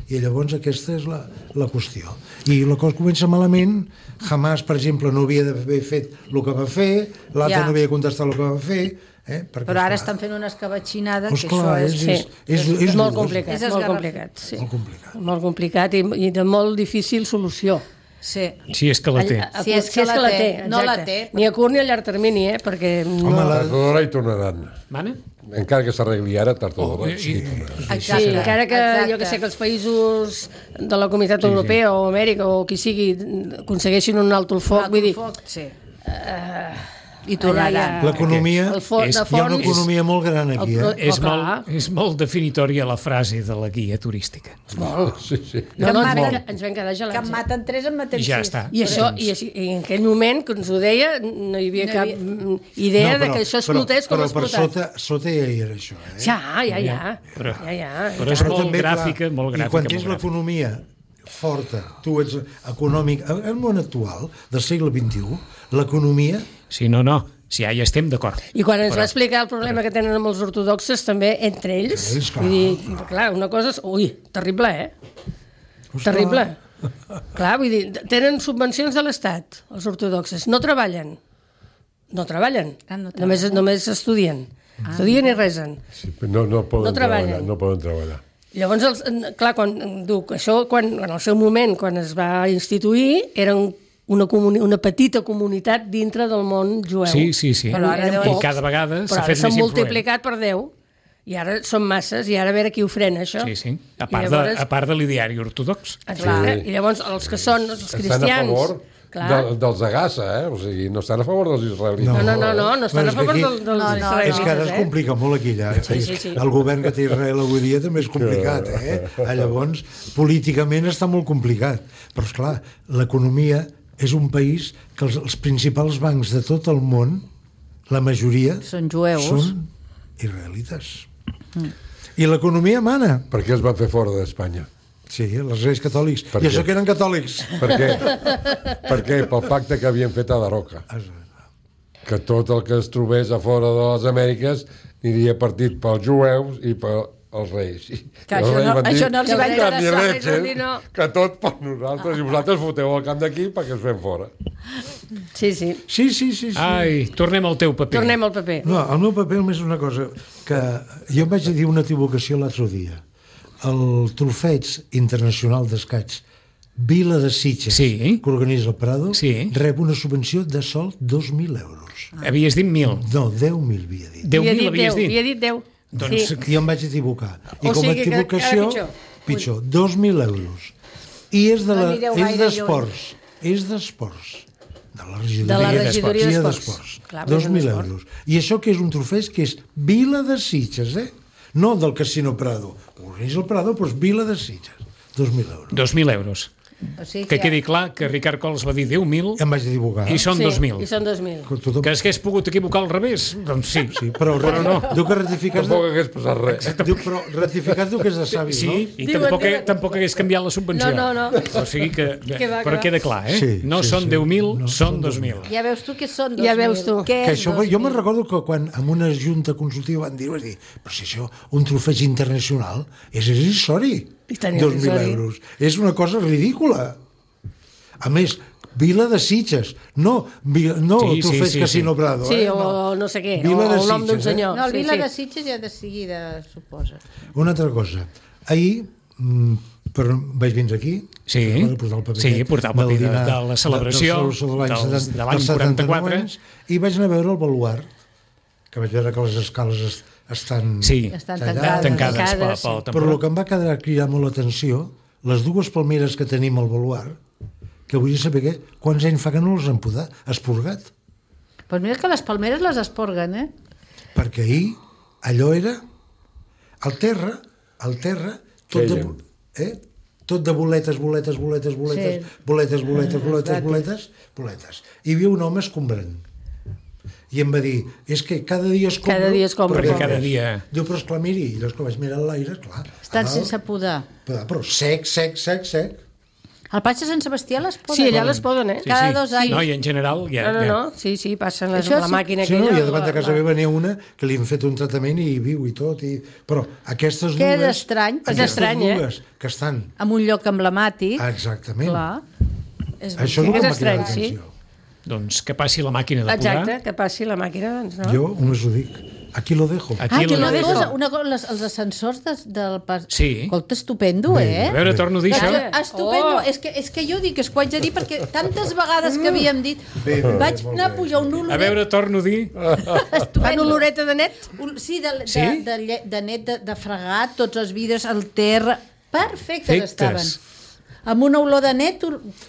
[SPEAKER 4] I llavors aquesta és la, la qüestió. I la cosa comença malament, Hamas, per exemple, no havia d'haver fet el que va fer, l'altre
[SPEAKER 5] Ja.
[SPEAKER 4] no havia contestat el que va fer, eh? Perquè,
[SPEAKER 5] Però ara
[SPEAKER 4] esclar,
[SPEAKER 5] estan fent una escabatxinada,
[SPEAKER 4] Doncs
[SPEAKER 5] que
[SPEAKER 4] clar,
[SPEAKER 5] això és...
[SPEAKER 4] és-
[SPEAKER 6] Sí, és,
[SPEAKER 4] és- és
[SPEAKER 6] molt
[SPEAKER 4] dur,
[SPEAKER 6] complicat,
[SPEAKER 5] és
[SPEAKER 6] molt
[SPEAKER 5] esgarrafat.
[SPEAKER 6] complicat, sí.
[SPEAKER 4] molt complicat.
[SPEAKER 6] Molt complicat i, i de molt difícil solució.
[SPEAKER 5] Sí.
[SPEAKER 2] Sí, és que la té.
[SPEAKER 6] A- a-
[SPEAKER 5] Sí, és que la té. No la
[SPEAKER 6] exacte.
[SPEAKER 5] té.
[SPEAKER 6] Ni a curt ni a llarg termini, eh? Perquè no...
[SPEAKER 4] Home, la-
[SPEAKER 3] Tard o d'hora hi tornaran.
[SPEAKER 2] Mana?
[SPEAKER 3] Encara que s'arregli ara, tard o d'hora,
[SPEAKER 2] i-
[SPEAKER 3] sí,
[SPEAKER 2] i-
[SPEAKER 3] tornaran.
[SPEAKER 6] Sí,
[SPEAKER 5] Exacte.
[SPEAKER 6] encara que
[SPEAKER 5] Exacte.
[SPEAKER 6] jo que sé que els països de la Comunitat Europea o Amèrica o qui sigui aconsegueixin un alto el foc,
[SPEAKER 5] Alto
[SPEAKER 6] vull dir,
[SPEAKER 5] foc, sí.
[SPEAKER 6] uh,
[SPEAKER 5] I tornaran.
[SPEAKER 6] allà hi ha-
[SPEAKER 4] L'economia,
[SPEAKER 6] el fo-
[SPEAKER 2] és-
[SPEAKER 6] de
[SPEAKER 2] hi
[SPEAKER 4] hi ha una
[SPEAKER 6] fons,
[SPEAKER 4] economia molt gran aquí,
[SPEAKER 6] El-
[SPEAKER 4] eh?
[SPEAKER 2] És
[SPEAKER 6] Oh, clar.
[SPEAKER 2] molt, és molt definitòria la frase de la guia turística.
[SPEAKER 6] molt.
[SPEAKER 3] Sí, sí.
[SPEAKER 6] No,
[SPEAKER 5] Que
[SPEAKER 6] no, ens,
[SPEAKER 5] maten-
[SPEAKER 6] vam, ens vam quedar
[SPEAKER 5] Que
[SPEAKER 6] gelats.
[SPEAKER 5] en
[SPEAKER 6] eh?
[SPEAKER 5] maten tres, en maten
[SPEAKER 2] I ja
[SPEAKER 5] sis.
[SPEAKER 2] està.
[SPEAKER 6] I això, i, així- i en aquell moment que ens ho deia, no hi havia
[SPEAKER 5] No hi
[SPEAKER 6] cap
[SPEAKER 5] havia-
[SPEAKER 6] mm, idea
[SPEAKER 4] No,
[SPEAKER 6] de que això explotés
[SPEAKER 4] però,
[SPEAKER 6] com ha
[SPEAKER 4] però per
[SPEAKER 6] explotat.
[SPEAKER 4] sota, sota ja hi era això, eh?
[SPEAKER 6] Ja, ja, ja.
[SPEAKER 2] Però-
[SPEAKER 6] ja, ja.
[SPEAKER 2] però és
[SPEAKER 4] Però
[SPEAKER 2] molt
[SPEAKER 4] també, clar,
[SPEAKER 2] gràfica, molt gràfica.
[SPEAKER 4] I quan
[SPEAKER 2] molt
[SPEAKER 4] tens
[SPEAKER 2] gràfica.
[SPEAKER 4] l'economia forta, tu ets econòmic, en el món actual, del segle vint-i-u, l'economia,
[SPEAKER 2] Sí, no, no. Si ja hi estem d'acord.
[SPEAKER 6] I quan ens
[SPEAKER 2] Però-
[SPEAKER 6] va explicar el problema que tenen amb els ortodoxes, també, entre ells,
[SPEAKER 4] Ells, clar.
[SPEAKER 6] vull dir, clar, una cosa és... Ui, terrible, eh? Terrible. Clar, vull dir, tenen subvencions de l'Estat, els ortodoxes, no treballen. No treballen.
[SPEAKER 5] Ah, no
[SPEAKER 6] només,
[SPEAKER 5] treballen.
[SPEAKER 6] només estudien. Ah. Estudien i resen.
[SPEAKER 3] Sí, però no, no poden
[SPEAKER 6] No treballen.
[SPEAKER 3] treballar, no poden treballar.
[SPEAKER 6] Llavors, els, clar, quan, dic, això, quan, en el seu moment, quan es va instituir, eren una, comuni una petita comunitat dintre del món jueu.
[SPEAKER 2] Sí, sí, sí.
[SPEAKER 5] Però ara
[SPEAKER 6] Eren
[SPEAKER 5] deu-
[SPEAKER 2] I
[SPEAKER 6] pocs,
[SPEAKER 2] cada vegada s'ha
[SPEAKER 6] però ara
[SPEAKER 2] fet
[SPEAKER 6] s'han
[SPEAKER 2] més influent.
[SPEAKER 6] multiplicat per deu. I ara són masses, i ara a veure qui ho frena, això.
[SPEAKER 2] Sí, sí. A
[SPEAKER 6] I
[SPEAKER 2] part,
[SPEAKER 6] llavors-
[SPEAKER 2] de, a part de l'ideari ortodox.
[SPEAKER 6] Exacte.
[SPEAKER 3] Sí.
[SPEAKER 6] I llavors els que són els
[SPEAKER 3] Estan
[SPEAKER 6] cristians...
[SPEAKER 3] a favor
[SPEAKER 6] clar.
[SPEAKER 3] de, dels de Gaza, eh? O sigui, no estan a favor dels israelites.
[SPEAKER 6] No, no, no, no, no estan
[SPEAKER 4] Però
[SPEAKER 6] a
[SPEAKER 4] és que
[SPEAKER 6] favor
[SPEAKER 4] aquí-
[SPEAKER 6] del, dels
[SPEAKER 5] No, no,
[SPEAKER 6] israelites,
[SPEAKER 4] És que ara es
[SPEAKER 6] eh?
[SPEAKER 4] complica molt aquí, allà.
[SPEAKER 6] Sí, sí, sí.
[SPEAKER 4] El govern que té Israel avui dia també és complicat, eh? Llavors, políticament està molt complicat. Però, esclar, l'economia és un país que els, els principals bancs de tot el món, la majoria,
[SPEAKER 5] Són jueus.
[SPEAKER 4] són israelites. Mm. I l'economia mana.
[SPEAKER 3] Per què els van fer fora d'Espanya?
[SPEAKER 4] Sí, els reis catòlics.
[SPEAKER 3] Per
[SPEAKER 4] I
[SPEAKER 3] què?
[SPEAKER 4] això que eren catòlics.
[SPEAKER 3] Per què? Per què? Pel pacte que havien fet a Daroca. Que tot el que es trobés a fora de les Amèriques aniria partit pels jueus i pels reis. I
[SPEAKER 5] Que
[SPEAKER 3] els
[SPEAKER 5] això
[SPEAKER 3] reis
[SPEAKER 5] no-
[SPEAKER 3] van dir,
[SPEAKER 5] això no els hi va
[SPEAKER 3] "Ni
[SPEAKER 5] interessar".
[SPEAKER 3] leche,
[SPEAKER 6] Els reis van dir no.
[SPEAKER 3] que tot per nosaltres, i vosaltres foteu el camp d'aquí perquè es fem fora.
[SPEAKER 6] Sí, sí.
[SPEAKER 4] Sí, sí, sí. sí.
[SPEAKER 2] Ai, tornem al teu paper.
[SPEAKER 6] Tornem al paper.
[SPEAKER 4] No, el meu paper només és una cosa, que jo em vaig dir una equivocació l'altre dia. El Trofeig Internacional d'Escaig Vila de Sitges,
[SPEAKER 2] Sí.
[SPEAKER 4] que organitza el Prado,
[SPEAKER 2] Sí.
[SPEAKER 4] rep una subvenció de sol dos mil euros.
[SPEAKER 2] Havies dit mil.
[SPEAKER 4] No, deu mil havia dit.
[SPEAKER 2] deu
[SPEAKER 6] Havia
[SPEAKER 2] mil
[SPEAKER 6] dit
[SPEAKER 2] havies
[SPEAKER 6] deu,
[SPEAKER 2] dit.
[SPEAKER 6] havia dit deu.
[SPEAKER 2] Doncs
[SPEAKER 6] Sí.
[SPEAKER 4] I jo em vaig equivocar. I
[SPEAKER 6] O
[SPEAKER 4] com a
[SPEAKER 6] sigui que encara
[SPEAKER 4] equivocació,
[SPEAKER 6] pitjor.
[SPEAKER 4] pitjor, dos mil euros. I és de
[SPEAKER 5] No
[SPEAKER 4] la,
[SPEAKER 5] anireu
[SPEAKER 4] és
[SPEAKER 5] gaire
[SPEAKER 4] d'esports. És d'esports. De la regidoria,
[SPEAKER 6] De la
[SPEAKER 2] regidoria
[SPEAKER 6] regidoria
[SPEAKER 4] d'esports.
[SPEAKER 6] d'esports. Clar,
[SPEAKER 4] dos
[SPEAKER 6] és un
[SPEAKER 4] mil
[SPEAKER 6] esport.
[SPEAKER 4] euros. I això que és un trofeig que és Vila de Sitges, eh? No del Casino Prado. Organitza el Prado, però és Vila de Sitges. dos mil euros.
[SPEAKER 2] dos mil euros.
[SPEAKER 5] O sigui
[SPEAKER 2] Que quedi clar que Ricard Cols va dir deu mil
[SPEAKER 4] Em vaig equivocar.
[SPEAKER 2] i són
[SPEAKER 6] Sí,
[SPEAKER 2] dos mil.
[SPEAKER 6] I són dos mil.
[SPEAKER 4] Tothom...
[SPEAKER 2] Que s'hagués pogut equivocar al revés? Doncs sí.
[SPEAKER 4] Sí, però, però no. Diu que ratificar...
[SPEAKER 3] Tampoc hagués passat res.
[SPEAKER 4] Diu, però ratificar diu que és de savi,
[SPEAKER 2] Sí,
[SPEAKER 4] no?
[SPEAKER 2] i
[SPEAKER 6] Diuen,
[SPEAKER 2] tampoc,
[SPEAKER 6] diuen.
[SPEAKER 2] tampoc hagués canviat la subvenció.
[SPEAKER 6] No, no, no.
[SPEAKER 2] O sigui que...
[SPEAKER 6] Que va, que
[SPEAKER 2] però
[SPEAKER 6] va.
[SPEAKER 2] queda clar, eh?
[SPEAKER 4] Sí,
[SPEAKER 2] no
[SPEAKER 4] sí,
[SPEAKER 2] són
[SPEAKER 4] sí.
[SPEAKER 2] deu mil,
[SPEAKER 4] No,
[SPEAKER 2] són
[SPEAKER 4] són
[SPEAKER 2] dos mil.
[SPEAKER 5] Ja veus tu que són dos
[SPEAKER 6] Ja
[SPEAKER 5] mil.
[SPEAKER 6] veus tu.
[SPEAKER 5] Què
[SPEAKER 4] Que
[SPEAKER 5] és
[SPEAKER 4] això,
[SPEAKER 5] dos
[SPEAKER 4] jo me'n
[SPEAKER 5] mil?
[SPEAKER 4] recordo que quan en una junta consultiva van dir, vas dir, però si això, un trofeig internacional, és irrisori.
[SPEAKER 6] I tant
[SPEAKER 4] dos mil
[SPEAKER 6] irrisori.
[SPEAKER 4] euros. És una cosa ridícula. A més, Vila de Sitges, no, Vila, no
[SPEAKER 2] Sí,
[SPEAKER 4] el trofeig
[SPEAKER 2] sí, sí,
[SPEAKER 4] Casino
[SPEAKER 2] sí.
[SPEAKER 4] Prado.
[SPEAKER 6] Sí,
[SPEAKER 4] eh?
[SPEAKER 6] o no sé què,
[SPEAKER 4] Vila
[SPEAKER 6] o
[SPEAKER 4] de
[SPEAKER 6] el nom d'un
[SPEAKER 4] Sitges, eh?
[SPEAKER 6] senyor.
[SPEAKER 5] No, el
[SPEAKER 6] Sí,
[SPEAKER 5] Vila
[SPEAKER 6] sí.
[SPEAKER 5] de Sitges ja de seguida, suposa.
[SPEAKER 4] Una altra cosa. Ahir, mm, però vaig vindre aquí,
[SPEAKER 2] Sí,
[SPEAKER 4] recordo portar el paper
[SPEAKER 2] sí,
[SPEAKER 4] aquest
[SPEAKER 2] portar el paper
[SPEAKER 4] del
[SPEAKER 2] de-
[SPEAKER 4] dinar
[SPEAKER 2] de la celebració
[SPEAKER 4] de, de l'any
[SPEAKER 2] dels-
[SPEAKER 4] setanta-
[SPEAKER 2] de l'any
[SPEAKER 4] dels setanta-nou
[SPEAKER 2] quaranta-quatre.
[SPEAKER 4] anys, i vaig anar a veure el baluart, que vaig veure que les escales es, estan
[SPEAKER 2] Sí,
[SPEAKER 5] Estan
[SPEAKER 4] tallades.
[SPEAKER 5] tancades.
[SPEAKER 2] tancades pel,
[SPEAKER 6] Tancades,
[SPEAKER 2] pel
[SPEAKER 6] sí.
[SPEAKER 4] Però el que em va quedar cridar molt l'atenció, les dues palmeres que tenim al baluart, que vull saber què, quants anys fa que no les han podat, esporgat.
[SPEAKER 5] Doncs mira que les palmeres les esporguen, eh?
[SPEAKER 4] Perquè ahir allò era al terra, al terra, tot de,
[SPEAKER 3] Queien.
[SPEAKER 4] eh? tot de boletes, boletes, boletes, boletes,
[SPEAKER 5] Sí.
[SPEAKER 4] boletes, boletes, boletes,
[SPEAKER 5] Gratis.
[SPEAKER 4] boletes, boletes. I hi havia un home escombrant. I em va dir, és que cada dia escombro...
[SPEAKER 6] Cada dia escombro.
[SPEAKER 4] però
[SPEAKER 2] Perquè cada
[SPEAKER 4] res.
[SPEAKER 2] dia-
[SPEAKER 4] Diu, però esclar, miri, i llavors quan vaig mirar l'aire, clar...
[SPEAKER 5] Estan
[SPEAKER 4] a dalt,
[SPEAKER 5] sense podar.
[SPEAKER 4] Però, però sec, sec, sec, sec.
[SPEAKER 5] Al Patge Sant Sebastià les poden.
[SPEAKER 6] Sí, allà les poden, eh?
[SPEAKER 2] Sí,
[SPEAKER 5] Cada
[SPEAKER 2] sí.
[SPEAKER 5] dos anys.
[SPEAKER 2] No, i en general ja...
[SPEAKER 6] No, no,
[SPEAKER 2] ja.
[SPEAKER 6] no, sí, sí, passen les,
[SPEAKER 5] Això
[SPEAKER 6] la
[SPEAKER 5] sí.
[SPEAKER 6] màquina
[SPEAKER 4] Sí,
[SPEAKER 6] aquella.
[SPEAKER 4] no, i a davant de casa
[SPEAKER 6] la-
[SPEAKER 4] meva n'hi ha una que li han fet un tractament i viu i tot. I... Però aquestes
[SPEAKER 5] Que
[SPEAKER 4] dues...
[SPEAKER 5] és estrany, perquè-
[SPEAKER 4] Aquestes
[SPEAKER 6] És estrany, eh?
[SPEAKER 4] dues que estan...
[SPEAKER 5] En un lloc emblemàtic.
[SPEAKER 4] Exactament.
[SPEAKER 5] Clar. És
[SPEAKER 4] Això és el
[SPEAKER 6] És
[SPEAKER 4] que m'ha
[SPEAKER 6] estrany,
[SPEAKER 4] cridat
[SPEAKER 6] sí.
[SPEAKER 4] l'atenció.
[SPEAKER 2] Doncs que passi la màquina de podar.
[SPEAKER 6] Exacte, que passi la màquina, doncs no.
[SPEAKER 4] Jo només ho dic. Aquí lo dejo.
[SPEAKER 2] Aquí
[SPEAKER 5] Ah, que
[SPEAKER 2] la
[SPEAKER 5] una
[SPEAKER 2] dejo.
[SPEAKER 5] cosa, una cosa les, els ascensors de, del pas...
[SPEAKER 2] Sí.
[SPEAKER 5] Escolta, estupendo,
[SPEAKER 4] Bé,
[SPEAKER 5] eh?
[SPEAKER 2] A veure, torno a dir això.
[SPEAKER 6] Bé.
[SPEAKER 5] Estupendo,
[SPEAKER 6] Oh.
[SPEAKER 5] és, que, és que jo dic, és que ho haig de dir perquè tantes vegades que havíem dit
[SPEAKER 4] Bé, bé,
[SPEAKER 5] vaig
[SPEAKER 4] molt
[SPEAKER 5] anar a
[SPEAKER 4] bé.
[SPEAKER 5] pujar un oloret
[SPEAKER 2] A veure, torno a dir...
[SPEAKER 6] Fan
[SPEAKER 5] estupendo.
[SPEAKER 6] oloreta de net?
[SPEAKER 5] Un- Sí, de, de,
[SPEAKER 2] Sí?
[SPEAKER 5] de, de, lle- de net de, de fregat, tots els vidres, el terra, perfectes
[SPEAKER 2] Perfectes.
[SPEAKER 5] estaven. Amb una olor de net,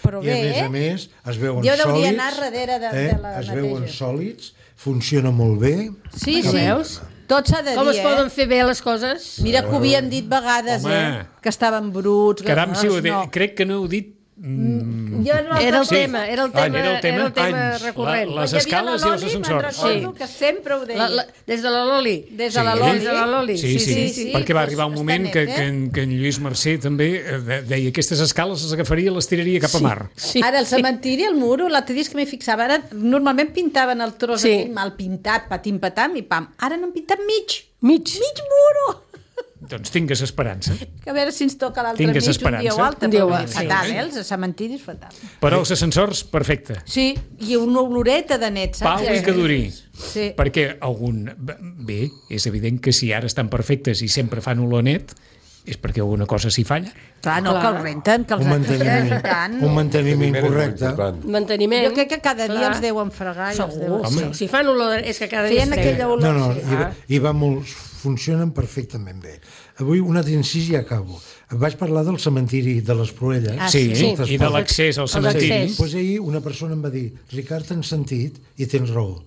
[SPEAKER 5] però
[SPEAKER 4] I
[SPEAKER 5] bé,
[SPEAKER 4] a més
[SPEAKER 5] eh?
[SPEAKER 4] a més es veuen
[SPEAKER 5] Jo
[SPEAKER 4] sòlids.
[SPEAKER 5] hauria anar darrere de-
[SPEAKER 4] eh?
[SPEAKER 5] de la
[SPEAKER 4] Es veuen
[SPEAKER 5] neteja.
[SPEAKER 4] sòlids, funciona molt bé.
[SPEAKER 5] Sí,
[SPEAKER 6] Ho
[SPEAKER 5] sí.
[SPEAKER 6] veus?
[SPEAKER 5] Tot s'ha de
[SPEAKER 6] Com
[SPEAKER 5] dir,
[SPEAKER 6] es
[SPEAKER 5] eh?
[SPEAKER 6] poden fer bé les coses?
[SPEAKER 5] Mira que ho havíem dit vegades,
[SPEAKER 2] Home.
[SPEAKER 5] eh? Que estaven bruts.
[SPEAKER 2] Caram, si ho he dit.
[SPEAKER 5] no.
[SPEAKER 2] Crec que no heu dit... Mm,
[SPEAKER 5] Jo no
[SPEAKER 6] Era el
[SPEAKER 2] Sí.
[SPEAKER 6] tema, era el tema,
[SPEAKER 2] Era el tema,
[SPEAKER 6] era el tema
[SPEAKER 2] anys.
[SPEAKER 6] recurrent.
[SPEAKER 2] La- les escales i els ascensors.
[SPEAKER 5] Me'n recordo que sempre ho deia.
[SPEAKER 6] La, la, des de la Loli.
[SPEAKER 5] Des de
[SPEAKER 2] Sí.
[SPEAKER 5] la Loli.
[SPEAKER 6] Des de la Loli.
[SPEAKER 2] Sí, sí, sí,
[SPEAKER 5] sí,
[SPEAKER 2] perquè va
[SPEAKER 5] doncs
[SPEAKER 2] arribar un
[SPEAKER 5] està
[SPEAKER 2] moment
[SPEAKER 5] net,
[SPEAKER 2] que,
[SPEAKER 5] eh?
[SPEAKER 2] que, en, que en Lluís Mercè també eh, de- deia aquestes escales les agafaria i les tiraria cap a mar.
[SPEAKER 6] Sí.
[SPEAKER 5] Ara, el cementiri, el muro, l'altre dia és que m'hi fixava, ara normalment pintaven el tros
[SPEAKER 6] Sí.
[SPEAKER 5] aquell mal pintat, patim-patam, i pam. Ara n'han pintat mig.
[SPEAKER 6] Mig.
[SPEAKER 5] Mig muro!
[SPEAKER 2] Doncs tingues esperança.
[SPEAKER 5] Que a veure si ens toca l'altre
[SPEAKER 2] Tingues
[SPEAKER 5] mig un dia o
[SPEAKER 2] esperança.
[SPEAKER 5] altre.
[SPEAKER 6] Un dia o
[SPEAKER 5] però
[SPEAKER 6] altre,
[SPEAKER 5] fatal,
[SPEAKER 2] sí.
[SPEAKER 5] eh? Els cementiris, fatal.
[SPEAKER 2] Però els ascensors, perfecte.
[SPEAKER 5] Sí, i una oloreta de net, saps?
[SPEAKER 2] Pau i que duri.
[SPEAKER 5] Sí.
[SPEAKER 2] Perquè algun... Bé, és evident que si ara estan perfectes i sempre fan olor net, és perquè alguna cosa s'hi falla.
[SPEAKER 5] Clar, no,
[SPEAKER 6] Clar.
[SPEAKER 5] que els renten, que els
[SPEAKER 4] Un manteniment,
[SPEAKER 5] renten. tant.
[SPEAKER 4] un manteniment
[SPEAKER 3] Primer és molt
[SPEAKER 4] correcte.
[SPEAKER 3] important.
[SPEAKER 6] Manteniment.
[SPEAKER 5] Jo crec que cada dia
[SPEAKER 6] Clar.
[SPEAKER 5] els deuen fregar i els
[SPEAKER 6] Segur.
[SPEAKER 5] deuen...
[SPEAKER 6] Sí. Si fan olor, és que cada dia
[SPEAKER 5] Feien
[SPEAKER 6] es
[SPEAKER 5] aquella
[SPEAKER 6] freguen.
[SPEAKER 5] olor.
[SPEAKER 4] No, no,
[SPEAKER 5] sí.
[SPEAKER 4] i, va, i va molt, funcionen perfectament bé. Avui un altre incís i acabo. Vaig parlar del cementiri de les Proelles.
[SPEAKER 5] Ah,
[SPEAKER 2] Sí,
[SPEAKER 6] sí.
[SPEAKER 2] i de l'accés al
[SPEAKER 6] El
[SPEAKER 2] cementiri.
[SPEAKER 6] d'accés.
[SPEAKER 4] Pues ahir una persona em va dir, Ricard, tens sentit i tens raó.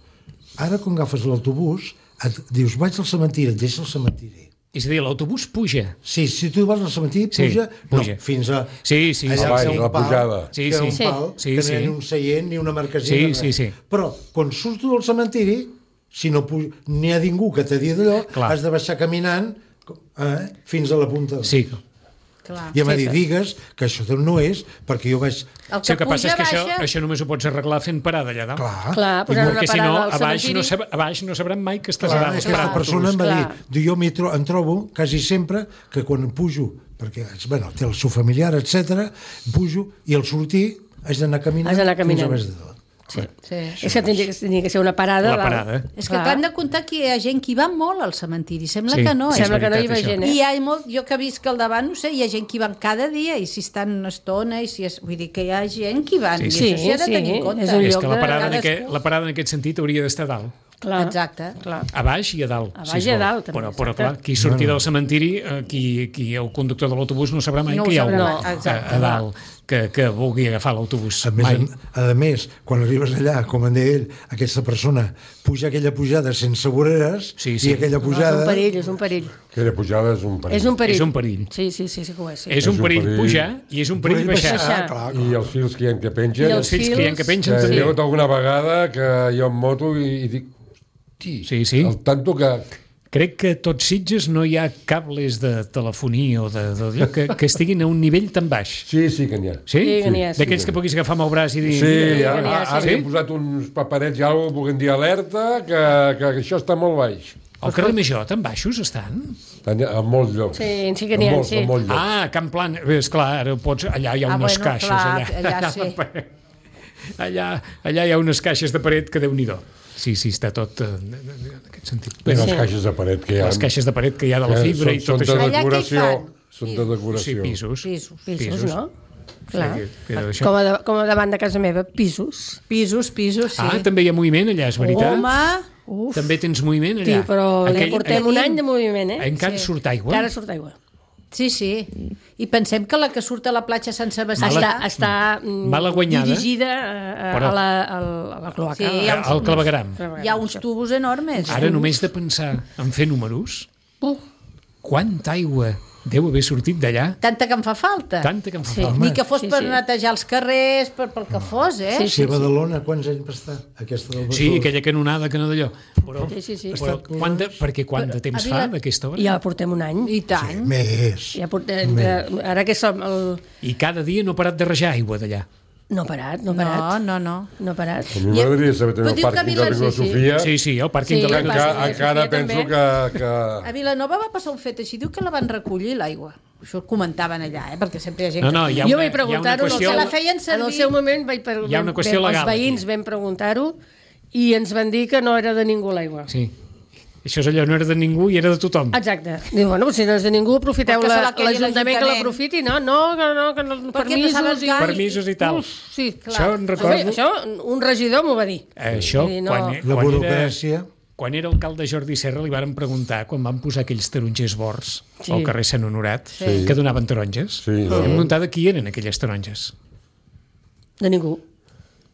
[SPEAKER 4] Ara, quan agafes l'autobús, et dius, vaig al cementiri, et deixa al cementiri.
[SPEAKER 2] És a dir, l'autobús puja.
[SPEAKER 4] Sí, si tu vas al cementiri,
[SPEAKER 2] Sí,
[SPEAKER 4] puja,
[SPEAKER 2] puja.
[SPEAKER 4] no, fins a...
[SPEAKER 2] Sí, sí,
[SPEAKER 4] allà
[SPEAKER 2] sí,
[SPEAKER 4] que
[SPEAKER 3] sí.
[SPEAKER 4] hi ha un
[SPEAKER 3] La
[SPEAKER 4] pal,
[SPEAKER 3] pujada.
[SPEAKER 2] Sí,
[SPEAKER 4] que hi ha
[SPEAKER 2] sí.
[SPEAKER 4] un
[SPEAKER 2] Sí.
[SPEAKER 4] pal,
[SPEAKER 2] Sí,
[SPEAKER 4] que
[SPEAKER 2] sí.
[SPEAKER 4] no hi ha un seient ni una marquesina.
[SPEAKER 2] Sí,
[SPEAKER 4] res.
[SPEAKER 2] sí, sí.
[SPEAKER 4] Però, quan surts del cementiri, si no puja, n'hi ha ningú que t'ha dit allò,
[SPEAKER 2] Clar.
[SPEAKER 4] has de baixar caminant eh, fins a la punta.
[SPEAKER 2] Sí.
[SPEAKER 5] Clar.
[SPEAKER 4] I em va
[SPEAKER 6] Sí,
[SPEAKER 4] dir,
[SPEAKER 6] sí.
[SPEAKER 4] digues que això no és, perquè jo vaig...
[SPEAKER 5] El
[SPEAKER 2] Sí,
[SPEAKER 5] que
[SPEAKER 2] el que passa és
[SPEAKER 5] puja,
[SPEAKER 2] que això,
[SPEAKER 5] baixa...
[SPEAKER 2] això només ho pots arreglar fent parada allà dalt.
[SPEAKER 4] Clar,
[SPEAKER 6] Clar, posant una
[SPEAKER 2] Perquè si no,
[SPEAKER 6] parada al
[SPEAKER 2] a baix
[SPEAKER 6] cementiri.
[SPEAKER 2] no, sab a baix no sabran mai que estàs
[SPEAKER 4] clar,
[SPEAKER 2] allà.
[SPEAKER 4] és que aquesta
[SPEAKER 2] esperant
[SPEAKER 4] persona em va dir,
[SPEAKER 6] Clar.
[SPEAKER 4] diu, jo m'hi tro em trobo quasi sempre que quan pujo, perquè bueno, té el seu familiar, etcètera, pujo i al sortir haig d'anar caminant,
[SPEAKER 6] Has d'anar
[SPEAKER 4] fins
[SPEAKER 6] caminant.
[SPEAKER 4] a baix de tot.
[SPEAKER 6] Sí.
[SPEAKER 5] Sí.
[SPEAKER 6] És que tindria, que tindria que ser una parada.
[SPEAKER 2] La
[SPEAKER 6] dalt.
[SPEAKER 2] parada.
[SPEAKER 5] És que
[SPEAKER 6] Clar.
[SPEAKER 5] clar, hem de comptar que hi ha gent que hi va molt al cementiri. Sembla
[SPEAKER 2] Sí,
[SPEAKER 5] que no.
[SPEAKER 2] sí,
[SPEAKER 5] eh?
[SPEAKER 6] Sembla que no hi
[SPEAKER 2] veritat,
[SPEAKER 6] va
[SPEAKER 2] això.
[SPEAKER 6] gent,
[SPEAKER 5] I
[SPEAKER 6] eh?
[SPEAKER 5] hi ha molt, jo que visc al davant, no sé, hi ha gent que hi van cada dia i si estan una estona i si és, vull dir que hi ha gent que hi van
[SPEAKER 2] Sí,
[SPEAKER 5] i
[SPEAKER 2] sí.
[SPEAKER 5] això s'hi ha de
[SPEAKER 6] Sí,
[SPEAKER 5] tenir en
[SPEAKER 6] sí,
[SPEAKER 5] compte.
[SPEAKER 6] és un
[SPEAKER 2] És
[SPEAKER 6] lloc
[SPEAKER 2] que la
[SPEAKER 6] de
[SPEAKER 2] parada, en
[SPEAKER 5] cadascú.
[SPEAKER 2] aquest, la parada en aquest sentit hauria d'estar a dalt.
[SPEAKER 6] Clar.
[SPEAKER 5] Exacte.
[SPEAKER 6] Clar.
[SPEAKER 2] A baix i a dalt.
[SPEAKER 6] A baix
[SPEAKER 2] si es
[SPEAKER 6] i a
[SPEAKER 2] vol.
[SPEAKER 6] dalt, també,
[SPEAKER 2] Però, però
[SPEAKER 6] exacte.
[SPEAKER 2] clar, qui surti del cementiri, eh, qui, qui el conductor de l'autobús no sabrà mai
[SPEAKER 5] No ho
[SPEAKER 2] que hi ha
[SPEAKER 5] sabrà
[SPEAKER 2] un
[SPEAKER 5] mai,
[SPEAKER 2] a,
[SPEAKER 5] exacte.
[SPEAKER 2] a dalt que, que vulgui agafar l'autobús.
[SPEAKER 4] A més,
[SPEAKER 2] Mai.
[SPEAKER 4] a, a més, quan arribes allà, com en deia ell, aquesta persona puja aquella pujada sense voreres
[SPEAKER 2] Sí, sí.
[SPEAKER 4] i aquella
[SPEAKER 6] No, és
[SPEAKER 4] pujada...
[SPEAKER 6] un perill, és un perill.
[SPEAKER 3] Aquella pujada és un perill.
[SPEAKER 6] És un perill.
[SPEAKER 2] És un perill.
[SPEAKER 6] Sí, sí, sí, sí que ho és. Sí.
[SPEAKER 2] És un
[SPEAKER 3] un
[SPEAKER 2] perill
[SPEAKER 3] perill.
[SPEAKER 2] pujar i és un perill baixar.
[SPEAKER 6] baixar.
[SPEAKER 4] Ah, clar,
[SPEAKER 3] I els fils que hi ha que pengen...
[SPEAKER 6] I
[SPEAKER 2] Els
[SPEAKER 6] els
[SPEAKER 2] fills que hi ha que
[SPEAKER 3] que
[SPEAKER 2] pengen
[SPEAKER 3] hi
[SPEAKER 2] també.
[SPEAKER 3] ha hagut alguna vegada que jo en moto i, i dic... Hosti,
[SPEAKER 2] Sí, sí.
[SPEAKER 3] el tanto que...
[SPEAKER 2] Crec que a tots Sitges no hi ha cables de telefonia o de, de, que, que estiguin a un nivell tan baix.
[SPEAKER 3] Sí, sí que n'hi ha.
[SPEAKER 2] Sí?
[SPEAKER 6] Sí, que n'hi ha, sí.
[SPEAKER 2] D'aquells que puguis agafar amb el braç i dir...
[SPEAKER 3] Sí,
[SPEAKER 2] mira,
[SPEAKER 3] ara,
[SPEAKER 6] n'hi ha,
[SPEAKER 3] ara
[SPEAKER 6] sí.
[SPEAKER 3] hi hem posat uns paperets i alguna cosa, puguem dir alerta, que, que això està molt baix.
[SPEAKER 2] al carrer Major tan baixos estan?
[SPEAKER 3] Tant, a molts llocs.
[SPEAKER 6] Sí, sí que n'hi ha,
[SPEAKER 3] A molts,
[SPEAKER 6] sí.
[SPEAKER 3] a molts llocs.
[SPEAKER 2] Ah, Can Plan, bé, esclar, ara pots, allà hi ha
[SPEAKER 5] Ah,
[SPEAKER 2] unes
[SPEAKER 5] bueno,
[SPEAKER 2] caixes.
[SPEAKER 5] clar,
[SPEAKER 2] allà,
[SPEAKER 5] allà sí.
[SPEAKER 2] allà, allà hi ha unes caixes de paret que Déu-n'hi-do. Sí, sí, està tot eh, en aquest sentit.
[SPEAKER 3] Bé, les
[SPEAKER 6] Sí.
[SPEAKER 3] caixes de paret que hi ha.
[SPEAKER 2] Les caixes de paret que hi ha de la
[SPEAKER 3] que
[SPEAKER 2] fibra
[SPEAKER 3] són,
[SPEAKER 2] i tot
[SPEAKER 3] són
[SPEAKER 2] això.
[SPEAKER 3] de
[SPEAKER 5] Allà què hi
[SPEAKER 3] decoració.
[SPEAKER 5] fan?
[SPEAKER 3] Són de
[SPEAKER 2] Sí,
[SPEAKER 3] decoració.
[SPEAKER 2] pisos.
[SPEAKER 5] Pisos.
[SPEAKER 6] Pisos, no? Clar.
[SPEAKER 2] que- que d'això.
[SPEAKER 6] Com, a de, com a davant de casa meva, pisos.
[SPEAKER 5] Pisos, pisos, sí.
[SPEAKER 2] Ah, també hi ha moviment allà, és veritat?
[SPEAKER 5] Home,
[SPEAKER 6] Uf,
[SPEAKER 2] També tens moviment
[SPEAKER 6] sí,
[SPEAKER 2] allà?
[SPEAKER 6] però ja
[SPEAKER 2] Aquell-
[SPEAKER 6] portem un any de moviment, eh?
[SPEAKER 2] Encara
[SPEAKER 5] Sí.
[SPEAKER 2] surt aigua?
[SPEAKER 6] Encara surt aigua.
[SPEAKER 5] sí, sí. I pensem que la que surt a la platja Sant Sebastià...
[SPEAKER 6] Està, està mm,
[SPEAKER 2] Mala guanyada.
[SPEAKER 6] dirigida a, a,
[SPEAKER 2] Però-
[SPEAKER 6] a, la, a, la, a la cloaca.
[SPEAKER 5] Sí,
[SPEAKER 2] Eh,
[SPEAKER 5] hi ha uns-
[SPEAKER 2] Al clavegram.
[SPEAKER 5] Hi ha uns tubos enormes.
[SPEAKER 2] Ara només de pensar en fer números,
[SPEAKER 6] Uh,
[SPEAKER 2] quanta aigua deu haver sortit d'allà?
[SPEAKER 5] Tanta que em fa falta.
[SPEAKER 2] Tanta que em fa
[SPEAKER 6] Sí.
[SPEAKER 2] falta.
[SPEAKER 5] Ni que fos
[SPEAKER 6] Sí,
[SPEAKER 5] per
[SPEAKER 6] sí.
[SPEAKER 5] netejar els carrers, per, pel que fos, eh?
[SPEAKER 6] Sí,
[SPEAKER 4] Si a Badalona, quants anys va estar? Aquesta del
[SPEAKER 2] Sí,
[SPEAKER 4] Besòs?
[SPEAKER 2] aquella canonada que no d'allò. Però,
[SPEAKER 6] Sí, sí, sí.
[SPEAKER 2] però quant de, perquè quant de temps
[SPEAKER 5] a
[SPEAKER 2] fa
[SPEAKER 5] Vila-
[SPEAKER 2] d'aquesta hora?
[SPEAKER 6] ja portem un any.
[SPEAKER 5] I tant.
[SPEAKER 4] Més.
[SPEAKER 6] Ja portem, eh, ara que som... El...
[SPEAKER 2] I cada dia no ha parat de rajar aigua d'allà.
[SPEAKER 6] No ha parat, no ha
[SPEAKER 5] No,
[SPEAKER 6] parat.
[SPEAKER 5] no, no.
[SPEAKER 6] No ha parat.
[SPEAKER 3] A mi m'agradaria saber també
[SPEAKER 5] Però
[SPEAKER 3] el
[SPEAKER 5] diu que
[SPEAKER 3] pàrquing de
[SPEAKER 5] Vila-
[SPEAKER 3] la
[SPEAKER 6] sí, sí.
[SPEAKER 3] Sofia.
[SPEAKER 2] Sí, sí, el pàrquing
[SPEAKER 6] Sí,
[SPEAKER 2] de la
[SPEAKER 6] el
[SPEAKER 3] Encara,
[SPEAKER 6] pàrquing de
[SPEAKER 3] encara
[SPEAKER 6] Sofia
[SPEAKER 3] penso
[SPEAKER 6] també.
[SPEAKER 3] que... que...
[SPEAKER 5] A Vilanova va passar un fet així. Diu que la van recollir, l'aigua. Això ho comentaven allà, eh? Perquè sempre hi ha gent
[SPEAKER 2] No,
[SPEAKER 5] que...
[SPEAKER 2] no, hi ha
[SPEAKER 6] jo
[SPEAKER 2] una,
[SPEAKER 6] vaig
[SPEAKER 2] hi ha una
[SPEAKER 6] preguntar-ho,
[SPEAKER 2] qüestió...
[SPEAKER 5] Se la feien
[SPEAKER 6] en
[SPEAKER 5] servir.
[SPEAKER 6] el seu moment vaig per,
[SPEAKER 2] Hi ha una qüestió
[SPEAKER 6] vam,
[SPEAKER 2] legal
[SPEAKER 6] els veïns
[SPEAKER 2] aquí.
[SPEAKER 6] vam preguntar-ho i ens van dir que no era de ningú l'aigua.
[SPEAKER 2] Sí. Això és allò, no era de ningú i era de tothom.
[SPEAKER 6] Exacte. Diu, bueno, si no és de ningú, aprofiteu
[SPEAKER 5] Perquè se
[SPEAKER 6] la-
[SPEAKER 5] la quedi
[SPEAKER 6] l'Ajuntament que
[SPEAKER 5] l'Ajuntament.
[SPEAKER 6] l'aprofiti. No, no, que no, que no,
[SPEAKER 5] Perquè no
[SPEAKER 6] permisos
[SPEAKER 5] saben
[SPEAKER 6] i...
[SPEAKER 5] cal.
[SPEAKER 2] Permisos i tal.
[SPEAKER 6] Uf, sí, clar.
[SPEAKER 2] Això en
[SPEAKER 6] Home,
[SPEAKER 2] recordo...
[SPEAKER 6] això un regidor m'ho va dir.
[SPEAKER 2] Això,
[SPEAKER 6] Sí, no.
[SPEAKER 2] quan,
[SPEAKER 4] La
[SPEAKER 2] quan, era,
[SPEAKER 4] burocràcia.
[SPEAKER 2] quan era alcalde Jordi Serra li varen preguntar, quan van posar aquells tarongers bords
[SPEAKER 6] Sí.
[SPEAKER 2] al carrer Sant Honorat,
[SPEAKER 3] Sí.
[SPEAKER 2] que donaven taronges.
[SPEAKER 3] Sí,
[SPEAKER 2] Hem
[SPEAKER 3] no.
[SPEAKER 2] preguntat de qui eren aquelles taronges.
[SPEAKER 6] De ningú.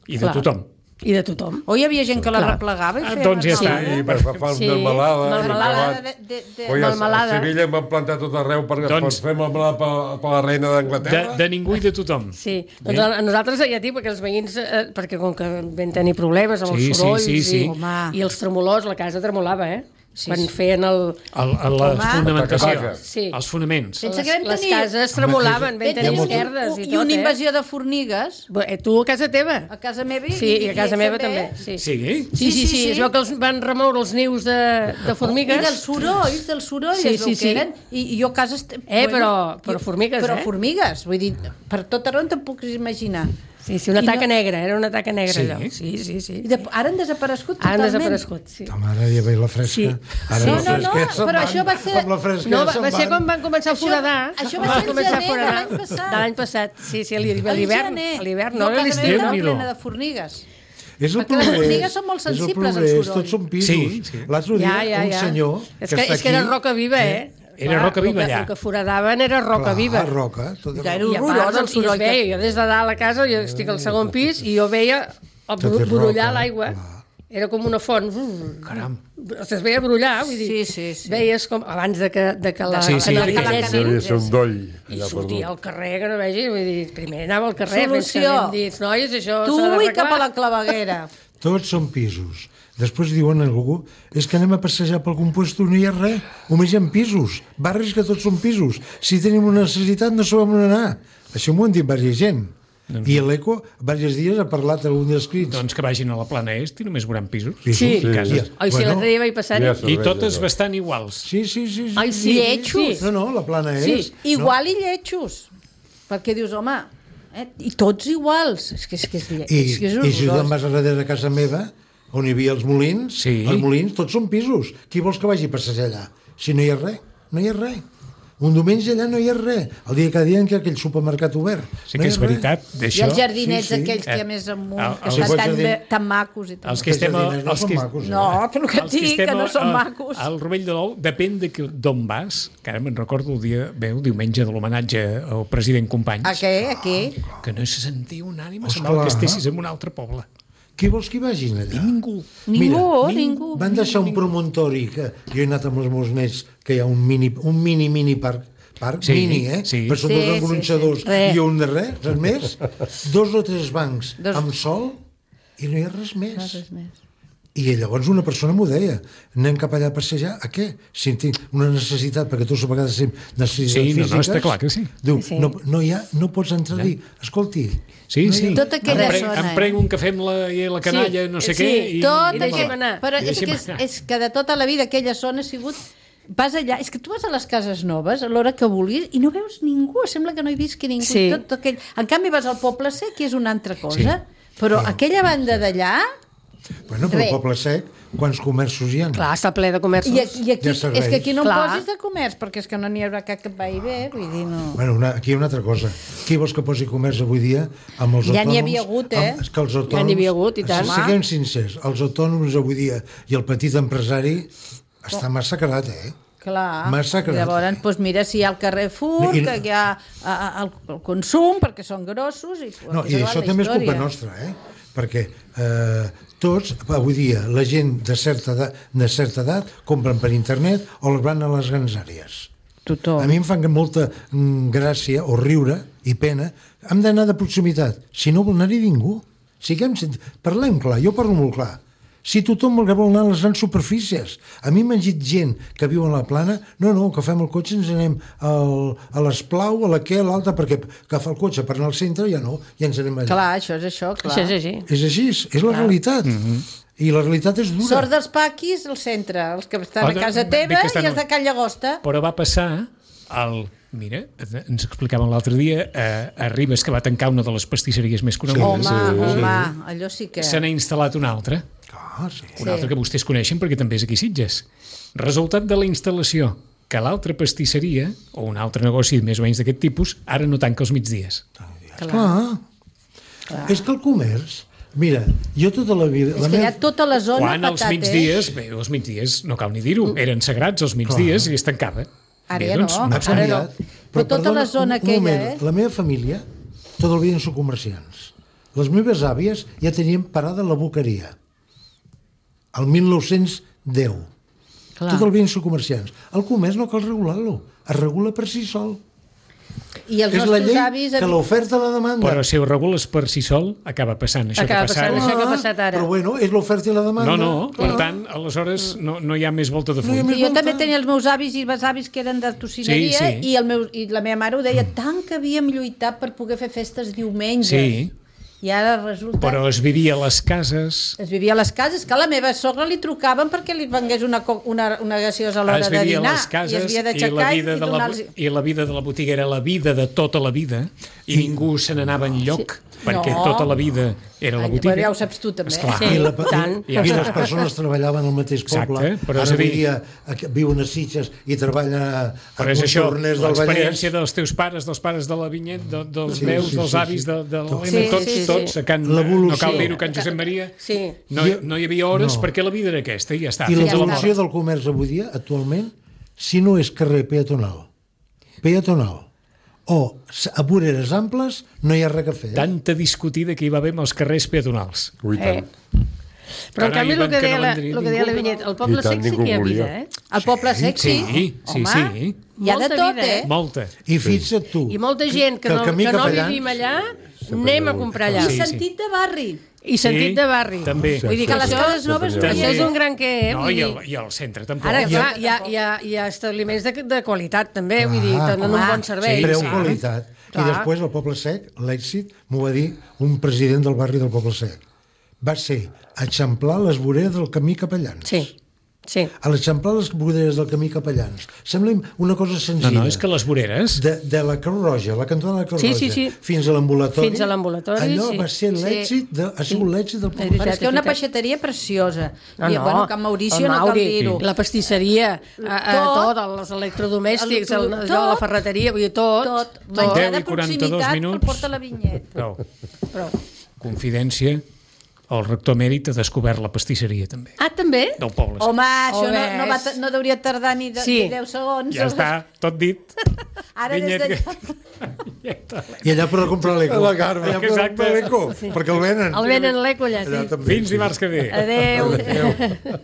[SPEAKER 2] I de
[SPEAKER 6] Clar.
[SPEAKER 2] tothom.
[SPEAKER 6] I de tothom.
[SPEAKER 5] O hi havia gent que la
[SPEAKER 6] Clar.
[SPEAKER 5] replegava i
[SPEAKER 2] Ah,
[SPEAKER 5] feia...
[SPEAKER 2] doncs ja està.
[SPEAKER 3] I per fa
[SPEAKER 6] Sí,
[SPEAKER 3] melmelada.
[SPEAKER 6] melmelada
[SPEAKER 5] de, de, de,
[SPEAKER 3] Oi, a, a
[SPEAKER 6] melmelada.
[SPEAKER 3] Sevilla em van plantar tot arreu per,
[SPEAKER 2] Doncs-
[SPEAKER 3] per fer melmelada per, per la reina
[SPEAKER 2] De,
[SPEAKER 3] d'Anglaterra.
[SPEAKER 2] de ningú i de tothom.
[SPEAKER 6] Sí, doncs a, a nosaltres ja dic, perquè els veïns, eh, perquè com que vam tenir problemes amb
[SPEAKER 2] Sí,
[SPEAKER 6] els
[SPEAKER 2] sí,
[SPEAKER 6] sorolls
[SPEAKER 2] sí, sí.
[SPEAKER 6] i,
[SPEAKER 5] Home.
[SPEAKER 6] i els tremolors, la casa tremolava, eh?
[SPEAKER 5] Sí,
[SPEAKER 6] Quan
[SPEAKER 5] sí.
[SPEAKER 6] feien el...
[SPEAKER 2] El, el, la
[SPEAKER 5] Home.
[SPEAKER 2] fonamentació,
[SPEAKER 3] Taca-taca.
[SPEAKER 6] Sí.
[SPEAKER 2] els fonaments.
[SPEAKER 5] Sense
[SPEAKER 6] Les,
[SPEAKER 5] que vam
[SPEAKER 6] les
[SPEAKER 5] tenir-
[SPEAKER 6] cases tremolaven, vam
[SPEAKER 5] Vam
[SPEAKER 6] tenir
[SPEAKER 5] tenir
[SPEAKER 6] esquerdes
[SPEAKER 5] un-
[SPEAKER 6] i
[SPEAKER 5] i
[SPEAKER 6] tot,
[SPEAKER 5] una
[SPEAKER 6] eh?
[SPEAKER 5] invasió de formigues
[SPEAKER 6] Bé, eh, tu a casa teva?
[SPEAKER 5] a casa meva i,
[SPEAKER 6] Sí, i a casa
[SPEAKER 5] ells
[SPEAKER 6] meva també, sí.
[SPEAKER 2] Sí?
[SPEAKER 6] Sí, sí, sí, sí. Es veu que els van remoure els nius de, de formigues.
[SPEAKER 5] I dels sorolls, dels sorolls,
[SPEAKER 6] Sí,
[SPEAKER 5] es veu
[SPEAKER 6] sí,
[SPEAKER 5] que
[SPEAKER 6] sí.
[SPEAKER 5] eren. I, i jo a casa... Est...
[SPEAKER 6] Eh, però- però formigues,
[SPEAKER 5] però
[SPEAKER 6] eh?
[SPEAKER 5] Però formigues, vull dir, per tot arreu te'n puc imaginar.
[SPEAKER 6] Sí, sí, una
[SPEAKER 5] I
[SPEAKER 6] taca
[SPEAKER 5] no-
[SPEAKER 6] negra, era una taca negra
[SPEAKER 2] Sí?
[SPEAKER 6] allò. Sí, sí, sí.
[SPEAKER 5] I de... Ara han desaparegut
[SPEAKER 6] Han
[SPEAKER 5] totalment.
[SPEAKER 6] desaparegut, sí.
[SPEAKER 4] Home, ara ja veig la fresca.
[SPEAKER 6] Sí.
[SPEAKER 4] Ara
[SPEAKER 5] No,
[SPEAKER 4] la
[SPEAKER 5] no, no,
[SPEAKER 4] fresca se'n
[SPEAKER 5] però
[SPEAKER 4] van.
[SPEAKER 5] això va ser-
[SPEAKER 4] Amb la fresca
[SPEAKER 6] No, va,
[SPEAKER 4] se'n
[SPEAKER 6] va ser
[SPEAKER 4] van.
[SPEAKER 6] quan van començar a
[SPEAKER 5] Això-
[SPEAKER 6] foradar.
[SPEAKER 5] això va
[SPEAKER 6] Van
[SPEAKER 5] ser el
[SPEAKER 6] començar a
[SPEAKER 5] gener de
[SPEAKER 6] foradar.
[SPEAKER 5] l'any passat.
[SPEAKER 6] De l'any passat, sí, sí, a
[SPEAKER 5] A
[SPEAKER 6] l'hivern.
[SPEAKER 5] gener.
[SPEAKER 6] A l'hivern,
[SPEAKER 5] Jo
[SPEAKER 6] no
[SPEAKER 5] a
[SPEAKER 6] a
[SPEAKER 5] casa
[SPEAKER 6] l'estiu.
[SPEAKER 5] meva
[SPEAKER 2] Déu-n'hi-do.
[SPEAKER 5] plena de formigues.
[SPEAKER 4] És el
[SPEAKER 5] Perquè les
[SPEAKER 4] progrés.
[SPEAKER 5] formigues són molt
[SPEAKER 4] és el
[SPEAKER 5] sensibles al
[SPEAKER 4] progrés,
[SPEAKER 5] soroll.
[SPEAKER 4] Tots són pisos.
[SPEAKER 2] Sí, sí.
[SPEAKER 4] L'altre dia,
[SPEAKER 6] Ja, ja,
[SPEAKER 4] un
[SPEAKER 6] ja.
[SPEAKER 4] senyor
[SPEAKER 6] És
[SPEAKER 4] que,
[SPEAKER 6] que,
[SPEAKER 4] està
[SPEAKER 6] és que era
[SPEAKER 4] aquí,
[SPEAKER 6] roca viva, eh?
[SPEAKER 2] Era
[SPEAKER 6] Clar,
[SPEAKER 2] roca viva,
[SPEAKER 6] el que,
[SPEAKER 2] allà.
[SPEAKER 6] El que foradaven era roca
[SPEAKER 4] clar,
[SPEAKER 6] viva.
[SPEAKER 4] roca. Tot
[SPEAKER 5] Ja era
[SPEAKER 6] I a
[SPEAKER 5] horrorós
[SPEAKER 6] part,
[SPEAKER 5] el
[SPEAKER 6] el
[SPEAKER 5] soroll
[SPEAKER 6] es veia,
[SPEAKER 5] que-
[SPEAKER 6] jo des de dalt a casa, jo estic al segon pis i jo veia el
[SPEAKER 4] Tot
[SPEAKER 6] bru-
[SPEAKER 4] és
[SPEAKER 6] brollar
[SPEAKER 4] roca,
[SPEAKER 6] l'aigua.
[SPEAKER 4] clar.
[SPEAKER 6] Era com una font.
[SPEAKER 2] Caram.
[SPEAKER 6] Es veia brollar, vull dir.
[SPEAKER 5] Sí, sí, sí.
[SPEAKER 6] Veies com, abans de que, de que la,
[SPEAKER 2] Sí, sí,
[SPEAKER 6] que la
[SPEAKER 2] perquè-
[SPEAKER 6] netegessin,
[SPEAKER 3] Devia ser un doll.
[SPEAKER 6] i
[SPEAKER 3] allà
[SPEAKER 6] sortia
[SPEAKER 3] perdut.
[SPEAKER 6] al carrer, que no vegi, vull dir, primer anava al carrer, fins que
[SPEAKER 5] Solució.
[SPEAKER 6] hem dit, noies, això
[SPEAKER 5] Tu
[SPEAKER 6] s'ha
[SPEAKER 5] i
[SPEAKER 6] d'arreglar.
[SPEAKER 5] cap a la claveguera.
[SPEAKER 4] Tots són pisos. Després diuen a algú, és que anem a passejar pel compuesto, no hi ha res, només hi ha pisos, barris que tots són pisos. Si tenim una necessitat no sabem on anar. Això m'ho han dit diversa gent. I l'Eco, diversos dies, ha parlat a un dels crits.
[SPEAKER 2] Doncs que vagin a la plana est i només veuran pisos.
[SPEAKER 4] Pisos,
[SPEAKER 6] Sí.
[SPEAKER 2] I cases.
[SPEAKER 6] Oi, si l'altre dia vaig passar-hi.
[SPEAKER 3] Ja
[SPEAKER 2] I
[SPEAKER 3] serveix,
[SPEAKER 2] totes
[SPEAKER 3] allò.
[SPEAKER 2] bastant iguals.
[SPEAKER 4] Sí, sí, sí. sí.
[SPEAKER 6] Ai, sí,
[SPEAKER 5] Lletjos.
[SPEAKER 6] sí.
[SPEAKER 4] No, no, la plana és...
[SPEAKER 6] Sí,
[SPEAKER 5] Igual i lletjos. Perquè dius, home, eh? i tots iguals. És que és, que és, lle...
[SPEAKER 4] I,
[SPEAKER 5] és, que és
[SPEAKER 4] i si tu te'n
[SPEAKER 5] horrorós.
[SPEAKER 4] vas a darrere de casa meva, on hi havia els molins,
[SPEAKER 2] Sí.
[SPEAKER 4] els molins tots són pisos. Qui vols que vagi a passejar allà? Si no hi ha res, no hi ha res. Un diumenge allà no hi ha res. El dia que diuen que aquell supermercat obert.
[SPEAKER 2] Sí
[SPEAKER 4] no
[SPEAKER 2] que
[SPEAKER 4] hi
[SPEAKER 2] és
[SPEAKER 4] ha res.
[SPEAKER 2] veritat,
[SPEAKER 5] I
[SPEAKER 2] d'això.
[SPEAKER 5] els jardinets
[SPEAKER 4] Sí, sí.
[SPEAKER 5] aquells que hi
[SPEAKER 2] Eh,
[SPEAKER 5] ha més amunt,
[SPEAKER 2] el-
[SPEAKER 5] que
[SPEAKER 2] els
[SPEAKER 5] estan tan,
[SPEAKER 4] jardins-
[SPEAKER 5] bé, tan macos i tot.
[SPEAKER 2] Els que estem... a-
[SPEAKER 4] jardiners no
[SPEAKER 2] Els
[SPEAKER 4] són
[SPEAKER 2] que,
[SPEAKER 4] macos, eh?
[SPEAKER 5] No, però el que et
[SPEAKER 2] els que
[SPEAKER 5] dic,
[SPEAKER 2] estem
[SPEAKER 5] que no
[SPEAKER 2] a-
[SPEAKER 5] són
[SPEAKER 2] a-
[SPEAKER 5] macos.
[SPEAKER 2] Al Rovell de l'Ou, depèn de que- d'on vas, que ara me'n recordo el dia, bé, el diumenge de l'homenatge al president Companys,
[SPEAKER 5] A què? A què?
[SPEAKER 2] que no se sentia un ànima,
[SPEAKER 4] Esclar.
[SPEAKER 2] semblava que estessis en un altre poble.
[SPEAKER 4] Qui vols que hi vagin allà?
[SPEAKER 2] Ningú.
[SPEAKER 5] Ningú, ningú.
[SPEAKER 4] Van deixar un promontori que jo he anat amb els meus nets que hi ha un mini, un mini, mini parc parc,
[SPEAKER 2] Sí,
[SPEAKER 4] mini, eh?
[SPEAKER 2] sí.
[SPEAKER 4] Per sota
[SPEAKER 5] Sí,
[SPEAKER 4] dos
[SPEAKER 5] sí,
[SPEAKER 4] engronxadors
[SPEAKER 5] sí.
[SPEAKER 6] Res.
[SPEAKER 4] i un de res, res més. Dos o tres bancs
[SPEAKER 5] Dos-
[SPEAKER 4] amb sol i no hi ha res més.
[SPEAKER 5] Res més.
[SPEAKER 4] I llavors una persona m'ho deia, anem cap allà a passejar, a què? Si tinc una necessitat, perquè tots a vegades tenim necessitats
[SPEAKER 2] Sí, no, no,
[SPEAKER 4] físiques,
[SPEAKER 2] està clar que sí.
[SPEAKER 4] Diu,
[SPEAKER 6] Sí.
[SPEAKER 4] no, no, hi ha, no pots entrar a dir, escolti,
[SPEAKER 2] Sí,
[SPEAKER 4] no hi
[SPEAKER 2] sí.
[SPEAKER 4] ha-
[SPEAKER 5] Tota aquella
[SPEAKER 2] em, pre
[SPEAKER 5] zona,
[SPEAKER 2] em
[SPEAKER 5] eh?
[SPEAKER 2] prego un cafè amb la, i la canalla,
[SPEAKER 6] Sí,
[SPEAKER 2] no sé
[SPEAKER 6] sí,
[SPEAKER 2] què. I,
[SPEAKER 5] Tot
[SPEAKER 6] I deixem
[SPEAKER 5] aquell...
[SPEAKER 6] anar.
[SPEAKER 5] Però
[SPEAKER 2] I
[SPEAKER 5] és que,
[SPEAKER 2] deixem
[SPEAKER 5] és,
[SPEAKER 2] anar.
[SPEAKER 5] és que de tota la vida aquella zona ha sigut... Vas allà, és que tu vas a les cases noves a l'hora que vulguis i no veus ningú, sembla que no hi visqui ningú.
[SPEAKER 6] Sí.
[SPEAKER 5] Tot aquell... En canvi vas al Poble Sec i és una altra cosa. Però aquella banda d'allà...
[SPEAKER 4] Bueno, però
[SPEAKER 5] Res.
[SPEAKER 4] al Poble Sec, quants comerços hi ha?
[SPEAKER 6] Clar, està ple de comerços.
[SPEAKER 5] I, i aquí,
[SPEAKER 4] Ja serveix.
[SPEAKER 5] és que aquí no em
[SPEAKER 6] Clar.
[SPEAKER 5] posis de comerç, perquè és que no n'hi haurà cap que va i bé, vull dir, no...
[SPEAKER 4] Bueno, una, aquí hi ha una altra cosa. Qui vols que posi comerç avui dia amb els
[SPEAKER 5] Ja
[SPEAKER 4] autònoms?
[SPEAKER 5] n'hi havia hagut, eh?
[SPEAKER 4] Amb, és que els autònoms,
[SPEAKER 6] Ja n'hi havia hagut, i tant.
[SPEAKER 4] Si- Siguem sincers, els autònoms avui dia i el petit empresari està massacrat, eh?
[SPEAKER 5] Clar,
[SPEAKER 4] Massacrat.
[SPEAKER 5] llavors, doncs mira, si hi ha el Carrefour,
[SPEAKER 4] I-
[SPEAKER 5] que hi ha a, a, el, el consum, perquè són grossos... I,
[SPEAKER 4] No,
[SPEAKER 5] aquí
[SPEAKER 4] i
[SPEAKER 5] s'ha
[SPEAKER 4] això
[SPEAKER 5] acabat la
[SPEAKER 4] també és culpa
[SPEAKER 5] història.
[SPEAKER 4] nostra, eh? Perquè eh, tots, avui dia, la gent de certa edat, de certa edat compren per internet o les van a les grans àrees.
[SPEAKER 5] Tothom.
[SPEAKER 4] A mi em fan molta mm, gràcia o riure i pena. Hem d'anar de proximitat. Si no vol anar-hi ningú. Siguem, parlem clar, jo parlo molt clar. Si tothom vol anar a les grans superfícies. A mi m'han dit gent que viu a la plana, no, no, que fem el cotxe i ens anem al, a l'Esplau, a la què, a l'alta, perquè agafar el cotxe per anar al centre ja no, ja ens anem allà.
[SPEAKER 5] Clar, això és això, clar.
[SPEAKER 6] Això és així.
[SPEAKER 4] És així, és la realitat. I la realitat és dura.
[SPEAKER 5] Sort dels paquis, al centre, els que estan
[SPEAKER 2] Ah,
[SPEAKER 5] a casa
[SPEAKER 2] bé, bé
[SPEAKER 5] teva
[SPEAKER 2] que estan-
[SPEAKER 5] i els de Can Llagosta.
[SPEAKER 2] Però va passar el... Mira, ens explicaven l'altre dia a, a Ribes, que va tancar una de les pastisseries més
[SPEAKER 5] Home,
[SPEAKER 2] conegudes.
[SPEAKER 5] home, allò sí que...
[SPEAKER 2] Se n'ha instal·lat una altra,
[SPEAKER 4] Ah, sí.
[SPEAKER 2] una altra que vostès coneixen perquè també és aquí a Sitges. Resultat de la instal·lació, que l'altra pastisseria, o un altre negoci més o menys d'aquest tipus, ara no tanca els migdies.
[SPEAKER 4] Clar. És que el comerç... Mira, jo tota la vida...
[SPEAKER 5] És
[SPEAKER 4] la
[SPEAKER 5] que hi
[SPEAKER 4] meva-
[SPEAKER 5] ha tota la zona
[SPEAKER 2] Quan els
[SPEAKER 5] patat,
[SPEAKER 2] migdies, bé, els migdies, no cal ni dir-ho, eren sagrats els migdies i es tancava.
[SPEAKER 5] Ara
[SPEAKER 2] Bé,
[SPEAKER 5] ja
[SPEAKER 2] doncs,
[SPEAKER 5] no.
[SPEAKER 4] ha
[SPEAKER 5] Ara
[SPEAKER 4] canviat.
[SPEAKER 5] no. Però tota la zona
[SPEAKER 4] un, un
[SPEAKER 5] aquella,
[SPEAKER 4] moment,
[SPEAKER 5] eh?
[SPEAKER 4] La meva família, tot el dia són comerciants. Les meves àvies ja tenien parada la boqueria. El mil nou-cents deu.
[SPEAKER 5] Clar.
[SPEAKER 4] Tot el vins són comerciants. El comerç no cal regular-lo. Es regula per si sol.
[SPEAKER 5] I els
[SPEAKER 4] És la
[SPEAKER 5] nostres
[SPEAKER 4] llei
[SPEAKER 5] avis...
[SPEAKER 4] que l'oferta i la demanda.
[SPEAKER 2] Però si ho regules per si sol, acaba passant això
[SPEAKER 6] Acaba
[SPEAKER 2] que ha passat.
[SPEAKER 6] passant això que ha passat ara.
[SPEAKER 4] Però bueno, és l'oferta i la demanda.
[SPEAKER 2] No, no, per tant, aleshores no, no hi ha més volta de
[SPEAKER 4] No hi ha
[SPEAKER 2] full.
[SPEAKER 4] més-
[SPEAKER 5] Sí, jo
[SPEAKER 4] volta.
[SPEAKER 5] també tenia els meus avis i besavis que eren de tocineria
[SPEAKER 2] Sí, sí.
[SPEAKER 5] i, el meu, i la meva mare ho deia tant que havíem lluitat per poder fer festes diumenges.
[SPEAKER 2] Sí.
[SPEAKER 5] I ara resulta...
[SPEAKER 2] Però es vivia a les cases,
[SPEAKER 5] Es vivia a les cases, que a la meva sogra li trucaven perquè li vengués una, co- una, una gaseosa a l'hora
[SPEAKER 2] es
[SPEAKER 5] de
[SPEAKER 2] vivia
[SPEAKER 5] dinar.
[SPEAKER 2] a les cases
[SPEAKER 5] I es havia
[SPEAKER 2] i la,
[SPEAKER 5] d'aixecar i,
[SPEAKER 2] vida
[SPEAKER 5] i
[SPEAKER 2] de la,
[SPEAKER 5] donar-los...
[SPEAKER 2] i la vida de la botiga era la vida de tota la vida i ningú se n'anava enlloc perquè
[SPEAKER 5] No.
[SPEAKER 2] tota la vida era la
[SPEAKER 5] Ai,
[SPEAKER 2] botiga.
[SPEAKER 5] però ja ho saps tu també.
[SPEAKER 2] Esclar.
[SPEAKER 6] Sí.
[SPEAKER 4] I, la,
[SPEAKER 6] tant.
[SPEAKER 4] i, i les persones treballaven al mateix poble.
[SPEAKER 2] Exacte, però és
[SPEAKER 4] Ara
[SPEAKER 2] a dir-
[SPEAKER 4] avui dia aquí- viuen a Sitges i treballa a
[SPEAKER 2] Però és això,
[SPEAKER 4] Montornès del Vallès.
[SPEAKER 2] l'experiència dels teus pares, dels pares de la Vinyet, de, dels
[SPEAKER 4] Sí,
[SPEAKER 2] meus,
[SPEAKER 4] sí,
[SPEAKER 2] dels
[SPEAKER 4] sí,
[SPEAKER 2] avis,
[SPEAKER 4] sí.
[SPEAKER 2] de, de
[SPEAKER 4] Tot.
[SPEAKER 2] l'Helena,
[SPEAKER 6] Sí,
[SPEAKER 2] tots,
[SPEAKER 6] sí, sí.
[SPEAKER 2] tots, a Can,
[SPEAKER 4] L'evolució.
[SPEAKER 2] no cal dir-ho, Can Josep Maria,
[SPEAKER 6] Sí.
[SPEAKER 2] no, no hi havia hores
[SPEAKER 4] No.
[SPEAKER 2] perquè la vida era aquesta i ja està.
[SPEAKER 4] I
[SPEAKER 2] fins a la
[SPEAKER 4] l'evolució
[SPEAKER 2] mort.
[SPEAKER 4] del comerç avui dia, actualment, si no és carrer peatonal, peatonal, o s- a voreres amples, no hi ha res a fer. Eh?
[SPEAKER 2] Tanta discutida que hi va haver amb els carrers peatonals.
[SPEAKER 3] Ui, tant.
[SPEAKER 6] Però en
[SPEAKER 2] Carai,
[SPEAKER 6] canvi el
[SPEAKER 2] van
[SPEAKER 6] que
[SPEAKER 2] que
[SPEAKER 6] deia
[SPEAKER 2] no
[SPEAKER 6] la,
[SPEAKER 2] van dir
[SPEAKER 6] el que deia la
[SPEAKER 2] ningú.
[SPEAKER 6] Vinyet, el poble
[SPEAKER 3] I tant,
[SPEAKER 6] sec sí
[SPEAKER 3] ningú
[SPEAKER 6] que hi ha
[SPEAKER 3] volia.
[SPEAKER 6] vida, eh?
[SPEAKER 5] El poble sec, sí.
[SPEAKER 2] Sí, sí,
[SPEAKER 5] Home,
[SPEAKER 2] sí.
[SPEAKER 5] hi ha de
[SPEAKER 6] Molta
[SPEAKER 5] tot,
[SPEAKER 6] vida,
[SPEAKER 5] eh?
[SPEAKER 6] eh?
[SPEAKER 2] Molta.
[SPEAKER 4] I fixa't tu.
[SPEAKER 6] I molta gent que,
[SPEAKER 4] el
[SPEAKER 6] no,
[SPEAKER 4] camí
[SPEAKER 6] que no
[SPEAKER 4] Capellans-
[SPEAKER 6] vivim allà, anem a comprar allà.
[SPEAKER 5] I
[SPEAKER 2] Sí,
[SPEAKER 5] sentit de barri.
[SPEAKER 6] I sentit
[SPEAKER 2] Sí,
[SPEAKER 6] de barri.
[SPEAKER 2] també.
[SPEAKER 6] Vull dir que
[SPEAKER 5] Que les
[SPEAKER 6] això,
[SPEAKER 5] cases noves no
[SPEAKER 2] També.
[SPEAKER 6] això és un gran què, eh?
[SPEAKER 2] No,
[SPEAKER 6] Vull
[SPEAKER 2] i
[SPEAKER 6] dir,
[SPEAKER 2] el, i el centre tampoc.
[SPEAKER 6] ara,
[SPEAKER 2] Sí.
[SPEAKER 6] clar, hi ha, hi, ha, hi ha establiments de, de qualitat, també, vull dir,
[SPEAKER 4] Ah,
[SPEAKER 6] tenen un
[SPEAKER 5] home,
[SPEAKER 6] bon servei.
[SPEAKER 4] Preu,
[SPEAKER 2] sí.
[SPEAKER 4] qualitat.
[SPEAKER 6] Clar.
[SPEAKER 4] I després el Poble Sec, l'èxit, m'ho va dir un president del barri del Poble Sec. Va ser eixamplar les voreres del camí Capellans.
[SPEAKER 6] Sí, sí.
[SPEAKER 4] A l'eixamplar les voreres del camí Capellans. Sembla una cosa
[SPEAKER 2] No,
[SPEAKER 4] senzilla.
[SPEAKER 2] no, és que les voreres...
[SPEAKER 4] De, de la Creu Roja, la cantonada de la Creu
[SPEAKER 6] Sí,
[SPEAKER 4] Roja,
[SPEAKER 6] sí, sí.
[SPEAKER 4] fins a l'ambulatori.
[SPEAKER 6] Fins a l'ambulatori,
[SPEAKER 4] Allò
[SPEAKER 6] sí.
[SPEAKER 4] va ser
[SPEAKER 6] Sí.
[SPEAKER 4] l'èxit, de, ha sigut l'èxit del
[SPEAKER 6] És
[SPEAKER 4] Poble
[SPEAKER 6] veritat.
[SPEAKER 5] Però és que hi ha una
[SPEAKER 6] veritat.
[SPEAKER 5] peixateria preciosa.
[SPEAKER 6] No,
[SPEAKER 5] I,
[SPEAKER 6] no,
[SPEAKER 5] bueno, Can Mauricio
[SPEAKER 6] el
[SPEAKER 5] no cal
[SPEAKER 6] Mauri,
[SPEAKER 5] dir-ho.
[SPEAKER 6] la pastisseria, a, a,
[SPEAKER 5] Tot.
[SPEAKER 6] tot, els electrodomèstics,
[SPEAKER 5] El-
[SPEAKER 6] el,
[SPEAKER 5] tot.
[SPEAKER 6] allò, la ferreteria, vull dir, tot.
[SPEAKER 5] Tot.
[SPEAKER 6] tot.
[SPEAKER 5] Menjar
[SPEAKER 2] deu
[SPEAKER 5] de
[SPEAKER 2] i quaranta-dos
[SPEAKER 5] proximitat
[SPEAKER 2] minuts.
[SPEAKER 5] pel porta la vinyet.
[SPEAKER 2] Prou.
[SPEAKER 6] Però...
[SPEAKER 2] Confidència, el rector Mèrit ha descobert la pastisseria, també,
[SPEAKER 6] Ah, també?
[SPEAKER 2] del poble.
[SPEAKER 5] Home, això no,
[SPEAKER 6] Home,
[SPEAKER 5] no, va,
[SPEAKER 6] és-
[SPEAKER 5] no hauria tardar ni, de,
[SPEAKER 6] Sí.
[SPEAKER 5] ni deu segons.
[SPEAKER 2] Ja està, tot dit.
[SPEAKER 5] Ara des
[SPEAKER 2] Vinyet
[SPEAKER 5] de...
[SPEAKER 2] que-
[SPEAKER 4] I allà per comprar l'eco.
[SPEAKER 3] La Carme.
[SPEAKER 4] Allà per
[SPEAKER 2] Exacte.
[SPEAKER 4] comprar l'eco, perquè el venen.
[SPEAKER 6] El venen l'eco allà,
[SPEAKER 4] Allà
[SPEAKER 6] sí.
[SPEAKER 4] també.
[SPEAKER 2] Fins dimarts que ve.
[SPEAKER 6] Adéu.